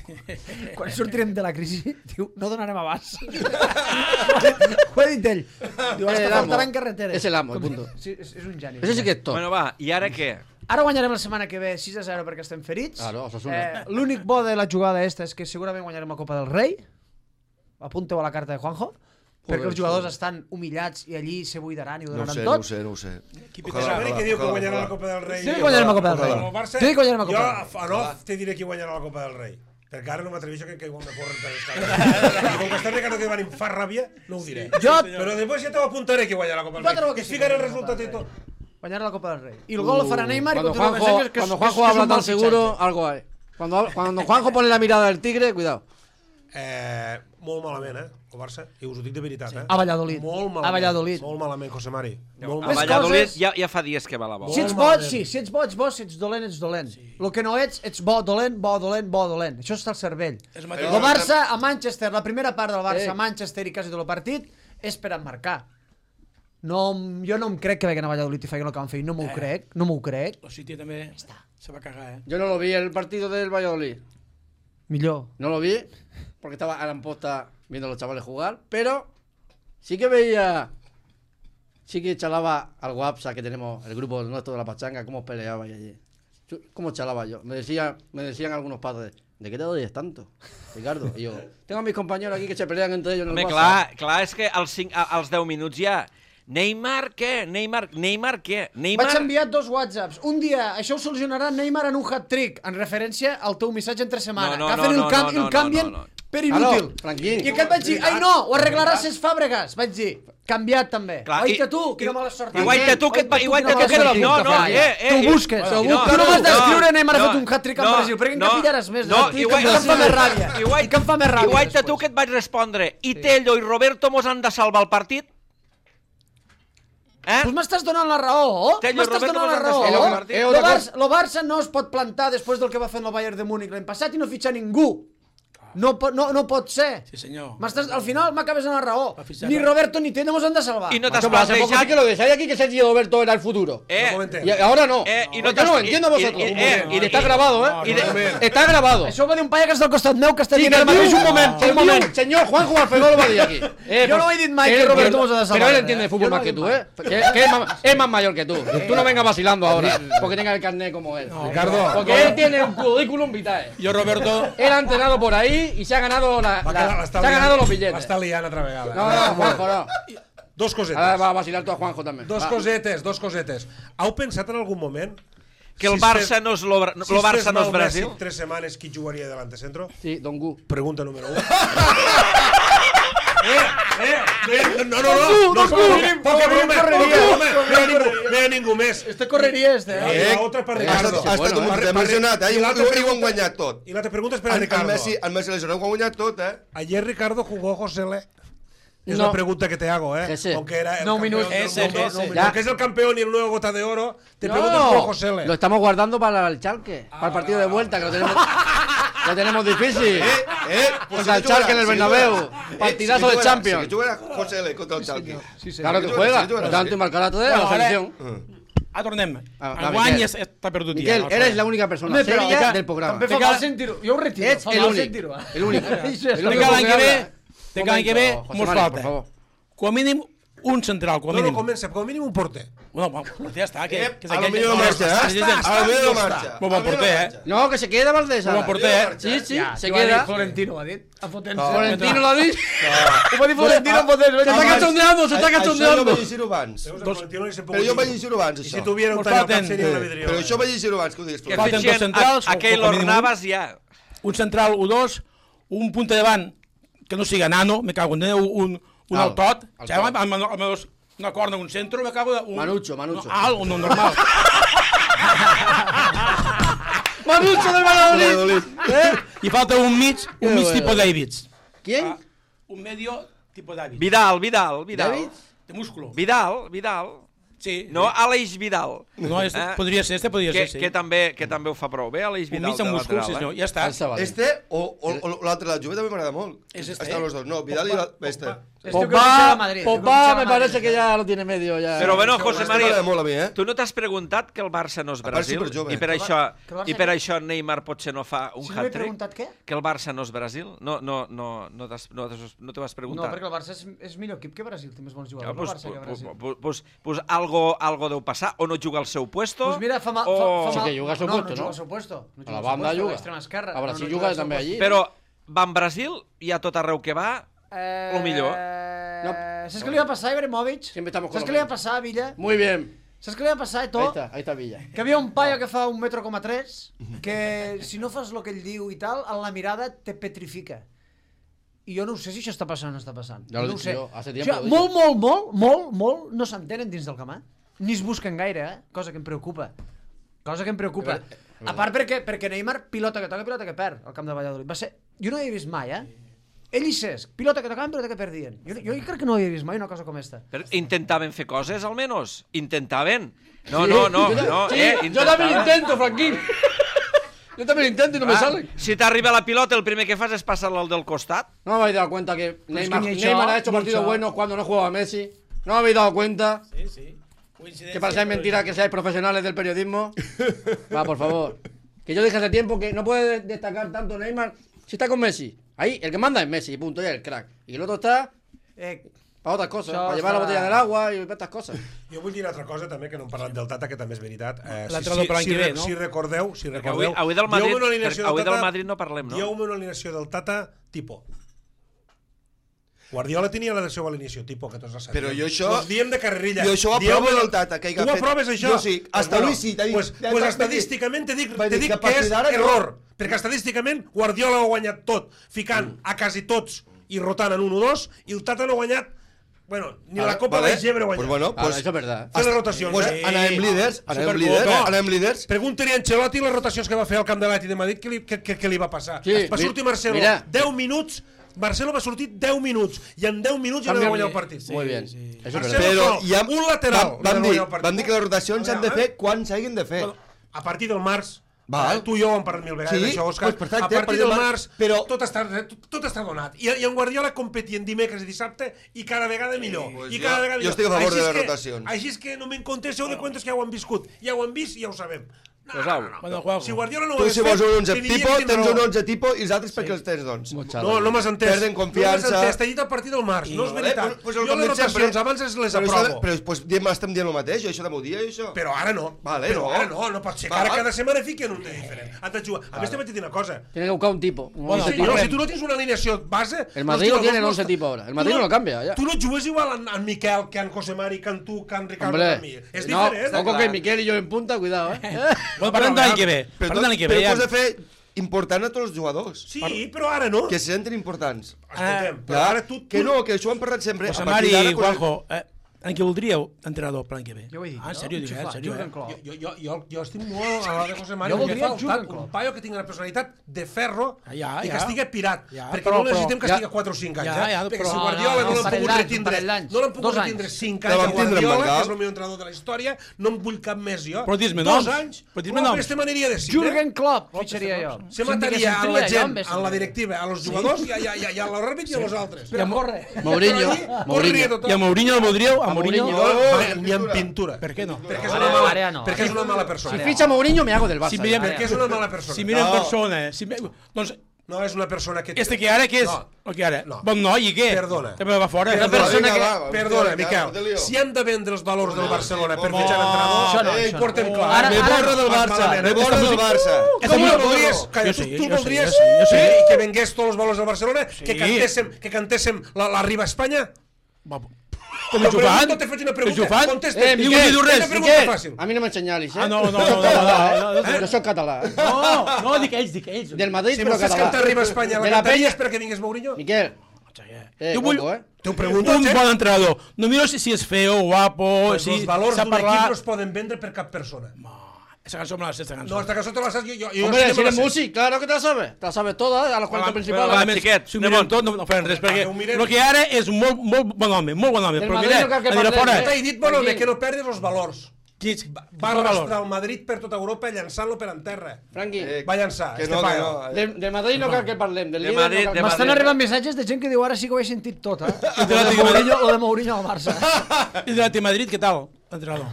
quan sortirem de la crisi, diu, no donarem abast. Ho ha dit ell. Diu, hasta faltaran carreteres. És el amo, punto. Sí, és un geni. Eso sí que es top. Bueno, va, i ara què? Ara guanyarem la setmana que ve 6-0 perquè estem ferits. Claro, Osasuna. L'únic bo de la jugada esta és que segurament guanyarem la Copa del Rei. Apunteu a la carta de Juanjo. Perquè els jugadors estan humillats i allí se buidaran i ho donaran tot. No ho sé. Saberi que diu que guanyarà la Copa del Rei. Sí que guanyarem la Copa del Rei. El Barça, Sí que guanyarem la Copa jo del Rei. a Nof te diré qui guanyarà la Copa del Rei. Perquè ara no m'atreveixo que me corren per les cames. I com que està Ricardo que em fa ràbia, no ho diré. Però després ja t'ho apuntaré qui guanyarà la Copa del Rei. Que es ficaré el resultat i tot. Guanyarà la Copa del Rei. I el gol lo farà Neymar. Cuando Juanjo habla tan seguro, algo hay. Cuando Juanjo pone la mirada del tigre, cuidado. Molt malament, el Barça. I us ho dic de veritat, A Valladolid. Molt malament. A Valladolid. Molt malament, José Mari. Molt A Més Valladolid coses- ja fa dies que va la bola. Si ets bo, sí. Si ets bo, ets bo. Si ets dolent, ets dolent. El que no ets bo, dolent, bo, dolent, bo, dolent. Això està al cervell. És El mateix. Barça a Manchester, la primera part del Barça a Manchester i quasi tot el partit, és per emmarcar. No, jo no em crec que veguen a Valladolid i facin el que van fer. No m'ho crec, no m'ho crec. El City també se va cagar, Yo no lo vi el partido del Valladolid. Millor. No lo vi porque estaba a la posta viendo a los chavales jugar, pero sí que veía, sí que chalaba al WhatsApp que tenemos, el grupo nuestro de la pachanga, cómo peleaba allí. Cómo chalaba yo. Me decían algunos padres, ¿de qué te doy tanto, Ricardo? Y yo, tengo a mis compañeros aquí que se pelean entre ellos en el Home, WhatsApp. clar, és que als 10 minuts ja... Neymar què? Neymar què? Vaig enviar 2 whatsapps. Un dia, això ho solucionarà Neymar en un hat-trick, en referència al teu missatge entre setmana. No, que el canvien per inútil. Tranquil. I aquest vaig dir, ai no, ho arreglaràs ses Fàbregas. Vaig dir, canviat també. Clar, Oita tu, quina mala sort. Igual tu que et No, tu busques. Tu no m'has d'escriure Neymar ha fet un hat-trick en Brasil, perquè en pillaràs més. No, igual em fa més ràbia. I que em fa més ràbia. Igual tu que et vaig respondre, i Tello i Roberto mos han de salvar el partit? Pues m'estàs donant la raó. M'estàs donant la raó. El Barça no es pot plantar després del que va fer el Bayern de Múnich l'any passat i no fitxar ningú. No pot ser. Sí, senyor. Al final m'acabes en la raó. Ni Roberto ni Tello mos han de salvar. I no t'has Hace poco sí que lo dejáis aquí que Sergio Roberto era el futuro. Y ahora no. y no Yo no lo entiendo vosotros. Y está grabado, Está grabado. Això ho va dir un paia que està al costat meu que està Sí, dient ara mateix un moment. Señor Juanjo Alfredo lo va a decir aquí. Yo no he dicho Mike que Roberto mos ha de salvar. Pero él entiende de fútbol más que tú, Que es más mayor que tú. Tú no vengas vacilando ahora porque tengas el carnet como él. Ricardo. Porque él tiene un currículum vitae. Yo, Roberto... Él ha entrenado por ahí y se ha ganado se ha ganado los billetes. L'està liant altra vegada. No, Juanjo, no. Dos cosetes. Ahora va a vacilar tú a Juanjo también. Dos cosetes. Heu pensat en algun moment Que el Barça no és Barça no és Brasil? Si 3 setmanes qui jugaria delante centro? Sí, Don Gu. Pregunta número 1. No, no hi ha ningú més. Este correria, I l'altra per Ricardo. Ha estat un moment emocionat, i ho han guanyat tot. I l'altra pregunta és per a Ricardo. El Messi lesionat ho ha guanyat tot, Ayer Ricardo jugó José Le. Es No. la pregunta que te hago, Ese. Aunque era el No, campeón, minutos. Ese. Aunque es el campeón y el nuevo Gota de Oro, te pregunto por José Le. Lo estamos guardando para el Chalque, para el partido de vuelta, que lo tenemos difícil. Contra el Chalque en el Bernabéu. Partidazo de Champions. Si juega José L contra el Chalque. Claro que juega. Tanto y marcará todo de la selección. tornem. Enguany està perdut. Miquel, eres la única persona seria del programa. També fa mal sentir-ho. Jo ho retiro. Ets l'únic. L'únic. De l'any que ve mos falta. Com a mínim un central, com a mínim. No comença, com a mínim un porter. No, ja està. A lo millor marxa, A lo millor marxa. Molt bon porter, No, que se queda Valdés. Molt bon porter, Sí, se queda. Florentino ho ha dit. Florentino l'ha dit. Ho va dir Florentino en Potència. Se està cachondeando, se està Això cachondeando. jo vaig llegir-ho abans. Però jo vaig llegir-ho abans, I això. si tuviera un tall seria una vidriola. Però això vaig llegir-ho abans, que ho digues. Que Falten dos fitxen centrals, a Keylor Navas ja. Un central, U2, un punta davant que no siga nano, me cago en Déu, un altot, amb una corna, un centro, me cago en... Manucho. Alt, un normal. Manucho del Valladolid. I falta un mig tipo Davids. ¿Quién? Un medio tipo Davids. Vidal. De músculo. Vidal. Sí. No, Aleix Vidal. No, podria ser, sí. Que també ho fa prou bé, Aleix Un Vidal mig de amb músculs, lateral. ja està. Este o l'altre de la Juve també m'agrada molt. És este. Estan los dos. No, Vidal i este. Pogba me parece que ya lo tiene medio ya. Però bueno, José Este m'agrada María, molt a mi, tu no t'has preguntat que el Barça no és part, Brasil superjove. i per això Neymar potser no fa un Si no m'he hat-trick? preguntat què? Que el Barça no és Brasil? No t'ho has No, preguntat? perquè el Barça és millor equip que Brasil, té més bons jugadors. El Barça que Brasil. Pues algo deu passar, o no juga al seu puesto, Pues mira, fa mal. Sí que juga al seu puesto, no? no? juga al seu puesto. No A la banda juga. juga. L'extrema esquerra. A Brasil no juga al seu també puesto. allí. però va en Brasil i a tot arreu que va, lo millor. ¿Sabes qué le iba a pasar a Ibrahimovic? Siempre estamos con ¿Sabes lo qué le iba a mismo. pasar a Villa? Muy bien. ¿Sabes qué le iba a pasar a Eto? Ahí está Villa. Que havia un paio que fa 1,3 m, que si no fas el que ell diu i tal, en la mirada te petrifica. I jo no ho sé si això està passant o no està passant. Ja lo no he ho dit sé. jo, hace tiempo lo he Molt no s'entenen dins del camp, ni es busquen gaire, cosa que em preocupa. A part perquè Neymar pilota que toca, pilota que perd al camp de Valladolid. Va ser... Jo no ho havia vist mai, Ell i Cesc, pilota que tocaven, pilota que perdien. Jo crec que no ho havia vist mai una cosa com esta. Però intentaven fer coses, almenys. Intentaven. No. Sí, yo también lo intento, Franquín. Yo también lo intento y no me salen. Si t'arriba la pilota, el primer que fas és passar-la al del costat. No me habéis dado cuenta que Neymar ni això, ha hecho ni partidos això. buenos cuando no jugaba Messi. No me habéis dado cuenta Sí. que parecéis mentira que seáis profesionales del periodismo. Va, por favor. Que yo dije hace tiempo que no puede destacar tanto Neymar si está con Messi. Ahí, el que manda es Messi, punto, ya el crack. Y el otro está para otras cosas, Això para llevar la està- botella del agua y para estas cosas. Jo vull dir una altra cosa també, que no hem parlat del Tata, que també és veritat. L'entrenador per l'any que ve, no? Si recordeu, Avui del Madrid, avui del Madrid no parlem, no? Dieu-me una alineació del Tata tipo. Guardiola tenia la seva alineació tipo, que tots la sabíem. Però jo això... Us diem de carrerilla. Jo això ho aprovo del Tata, que hi ha Tu fet. aproves això? Jo sí, hasta Luis sí, t'ha dit- Pues estadísticament te dic va dir que a que partir és d'ara no. error. Perquè estadísticament Guardiola ho ha guanyat tot, ficant a quasi tots i rotant en 1 o 2, i el Tata no ha guanyat, bueno, ni la Copa de Gebre ha guanyat. Pues bueno, Ahora, eso es verdad. Fent les rotacions, pues anem líders. Pregunta-li a Ancelotti les rotacions que va fer al camp de l'Atlètic de Madrid, què li va passar. Sí, Va sortir Marcelo mira. 10 minuts, Marcelo va sortir 10 minuts, i en 10 minuts ja no va guanyar el partit. Muy bien. Eso es Marcelo verdad. Però no, hi ha un lateral van dir que les rotacions s'han de fer quan s'hagin de fer. Bueno, a partir del març, Val. tu i jo ho hem parlat mil vegades, Sí, això, Òscar, pues perfecte, a partir del març, però- tot està donat. I en Guardiola competien dimecres i dissabte i cada vegada millor. Pues I cada vegada jo millor. estic a favor Així de és les que- rotacions. Així és que no me'n contesteu de cuentos que ja ho han viscut. Ja ho han vist i ja ho sabem. Pues au. Bueno, Juanjo. Si Guardiola no ho Tu hagués si vols un fet, 11 tindríem tipo, quin tens raó. un 11 tipo i els altres perquè els tens, doncs. No m'has entès. Perden confiança. No m'has entès, t'he dit a partir del març, no és Vale, veritat. pues Jo com les dic sempre, rotacions abans les però aprovo. Però pues, estem dient el mateix, això de m'ho dir, això. Però ara no. Vale, Però no. ara no pot ser que Va, ara va. cada setmana fiquen un dia diferent. Han de jugar. A més, te vaig dir una cosa. Tiene que buscar un tipo. Bueno, Sí, no, si tu no tens una alineació base... El Madrid no lo tiene en tires 11 los tipo ahora. El Madrid no lo cambia, ya. Tu no jugues igual en Miquel que en José Mari, que en tu, que en Ricardo, que en mi. Hombre, És no, diferent. ojo que Miquel y yo en punta, cuidado, Bueno, parlem de l'any que ve. Però Parlem de l'any que ve, ho ja. has de fer important a tots els jugadors. Sí, però ara no. Que se senten importants. Escoltem, però Clar, ara tu... que no, que això ho hem parlat sempre. José A partir Mari d'ara, i Juanjo, en què voldríeu entrenador per l'any que ve? Jo ho he dit, Ah, en no? sèrio, Xufar, en sèrio. Jürgen Klopp. Jo estic molt a la de José Mari. Jo voldria Em fa Jürgen Klopp. un paio que tingui una personalitat de ferro Ja, i que ja. estigui pirat. Ja, perquè però- no necessitem que ja. estigui 4 o 5 anys. Ja, Perquè però- si Guardiola no un l'han parell pogut d'anys, retindre, un parell d'anys. no l'han pogut 2 retindre anys. 5 La anys a vam tindre en Guardiola, Bangal. que és el millor entrenador de la història, no em vull cap més jo. Però dis-me 2 noms. anys, Però dis-me no, noms. aquesta m'aniria de 5. Jürgen Klopp fitxaria jo. Se mataria a la Tria, gent, jo, a la directiva, a los jugadors i a l'àrbit i a los altres. Però corre. Mourinho, Corria Mourinho. tothom. I a Mourinho el voldríeu? A Mourinho... Ni en pintura. Per què no? Perquè és una mala persona. Si ficha Mourinho, me hago del Barça. Perquè és una mala persona. Si mira en persona... Doncs... No, és una persona que... Este que ara, què és? El que ara? Bon noi, i què? Perdona. També va fora. Una persona que... Perdona, Miquel. Si han de vendre els valors del Barcelona per fitxar l'entrenador, ho porten clar. Me borro del Barça. Me borro del Barça. Com no voldries? Tu voldries que vengués tots els valors del Barcelona? Que cantéssim la Riba Espanya? Com ho fan? No te faig una pregunta. Contesta. Ningú diu res. A mi no m'ensenyalis, Ah, no. Jo soc català. No, dic ells. Del Madrid, Si però vols català. cantar Riba Espanya, la cantaries per que vingués Mourinho? Miquel. Jo vull T'ho pregunto. un bon entrenador. No miro si és feo, guapo, si Els valors sap d'un equip no parlar... es poden vendre per cap persona. Esa cançó me la sé, esta cançó. No, esta cançó te la saps jo. Hombre, si eres músic, claro que te la sabes. Te la sabes toda, a los 40 principals. va, xiquet, Si ho mirem tot, no farem res, perquè el que ara és molt bon home, Però mira, a dir fora... T'he dit, bon home, que no perdis els valors. Va valor. arrastrar el Madrid per tota Europa llançant-lo per en terra. Franqui, Va llançar, Que no, que no. de Madrid no cal que parlem, del De líder Madrid, no cal de que M'estan Madrid. arribant missatges de gent que diu ara sí que ho he sentit tot, eh? Madrid. O de Mourinho al Barça. I de Madrid, què tal, entrenador?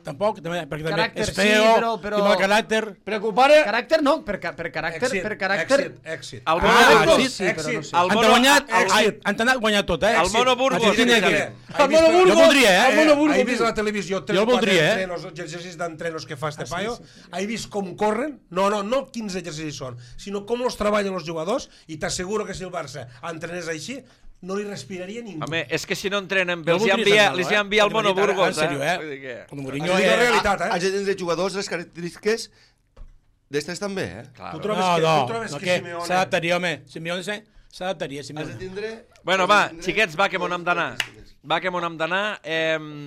Tampoc, perquè també Caràcter, és sí, feo, però- i mal caràcter. Preocupare... Caràcter no, per caràcter... Èxit. El Mono sí, Burgos. sí, però no sé. El Han Mono... guanyat, èxit. han anat guanyat tot, eh? El Mono Burgos. Argentina aquí. El Mono Burgos! Jo voldria, El Mono Burgos! He vist a la televisió 3 Jo o 4 voldria, entrenos, exercicis d'entrenos que fa este paio. He vist com corren. No quins exercicis són, sinó com els treballen els jugadors, i t'asseguro que si el Barça entrenés així, no li respiraria ningú. Home, és que si no entrenen bé, Jo els hi voldria envia sentir-lo, el Mono Burgos, En sèrio, Vull dir que... El Mourinho Això és la realitat, Has de tindre jugadors les característiques d'estes també, Tu trobes que Simeone... s'adaptaria, home. Simeone s'adaptaria, Has de Simeone. tindre... Bueno, va, xiquets, va, que m'on hem d'anar.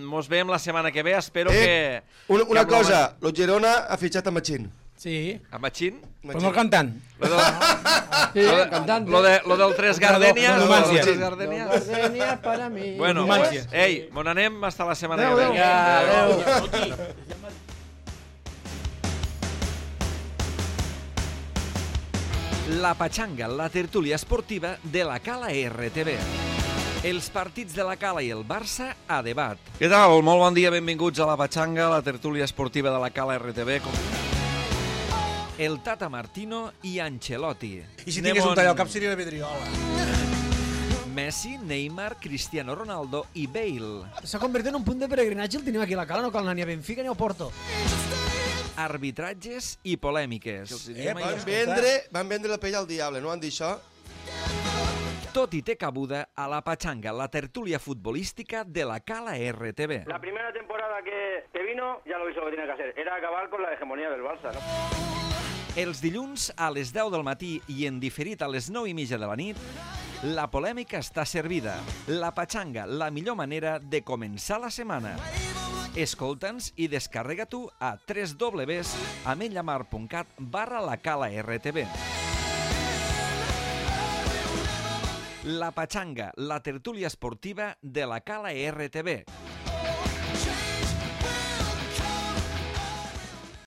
Mos veiem la setmana que ve, espero que... Una cosa, el Girona ha fitxat a Machín. Sí, A Machín? però no cantant. Sí, cantante. Lo del Tres Gardenias. Numancia. Tres Gardenias. Gardenia para mí. Bueno, Numancia. ei, m'on anem hasta la setmana que ve. Adeu. La Patxanga, la tertúlia esportiva de la Cala RTV. Els partits de la Cala i el Barça a debat. Què tal? Molt bon dia, benvinguts a la Patxanga, la tertúlia esportiva de la Cala RTV. El Tata Martino i Ancelotti. I si tingués un tall al cap seria la vidriola. Messi, Neymar, Cristiano Ronaldo i Bale. S'ha convertit en un punt de peregrinatge, el tenim aquí a la Cala, no cal anar ni a Benfica ni a Porto. Arbitratges i polèmiques. Van vendre la pell al diable, no van dir això? Tot hi té cabuda a la Patxanga, la tertúlia futbolística de la Cala RTV. La primera temporada que vino, ya lo hizo lo que tenía que hacer. Era acabar con la hegemonía del Barça, ¿no? Els dilluns a les 10 del matí i en diferit a les 9:30 de la nit, la polèmica està servida. La Patxanga, la millor manera de començar la setmana. Escolta'ns i descarrega-t'ho a www.amenyamar.cat/lacala-rtb. La Patxanga, la tertúlia esportiva de la Cala RTV.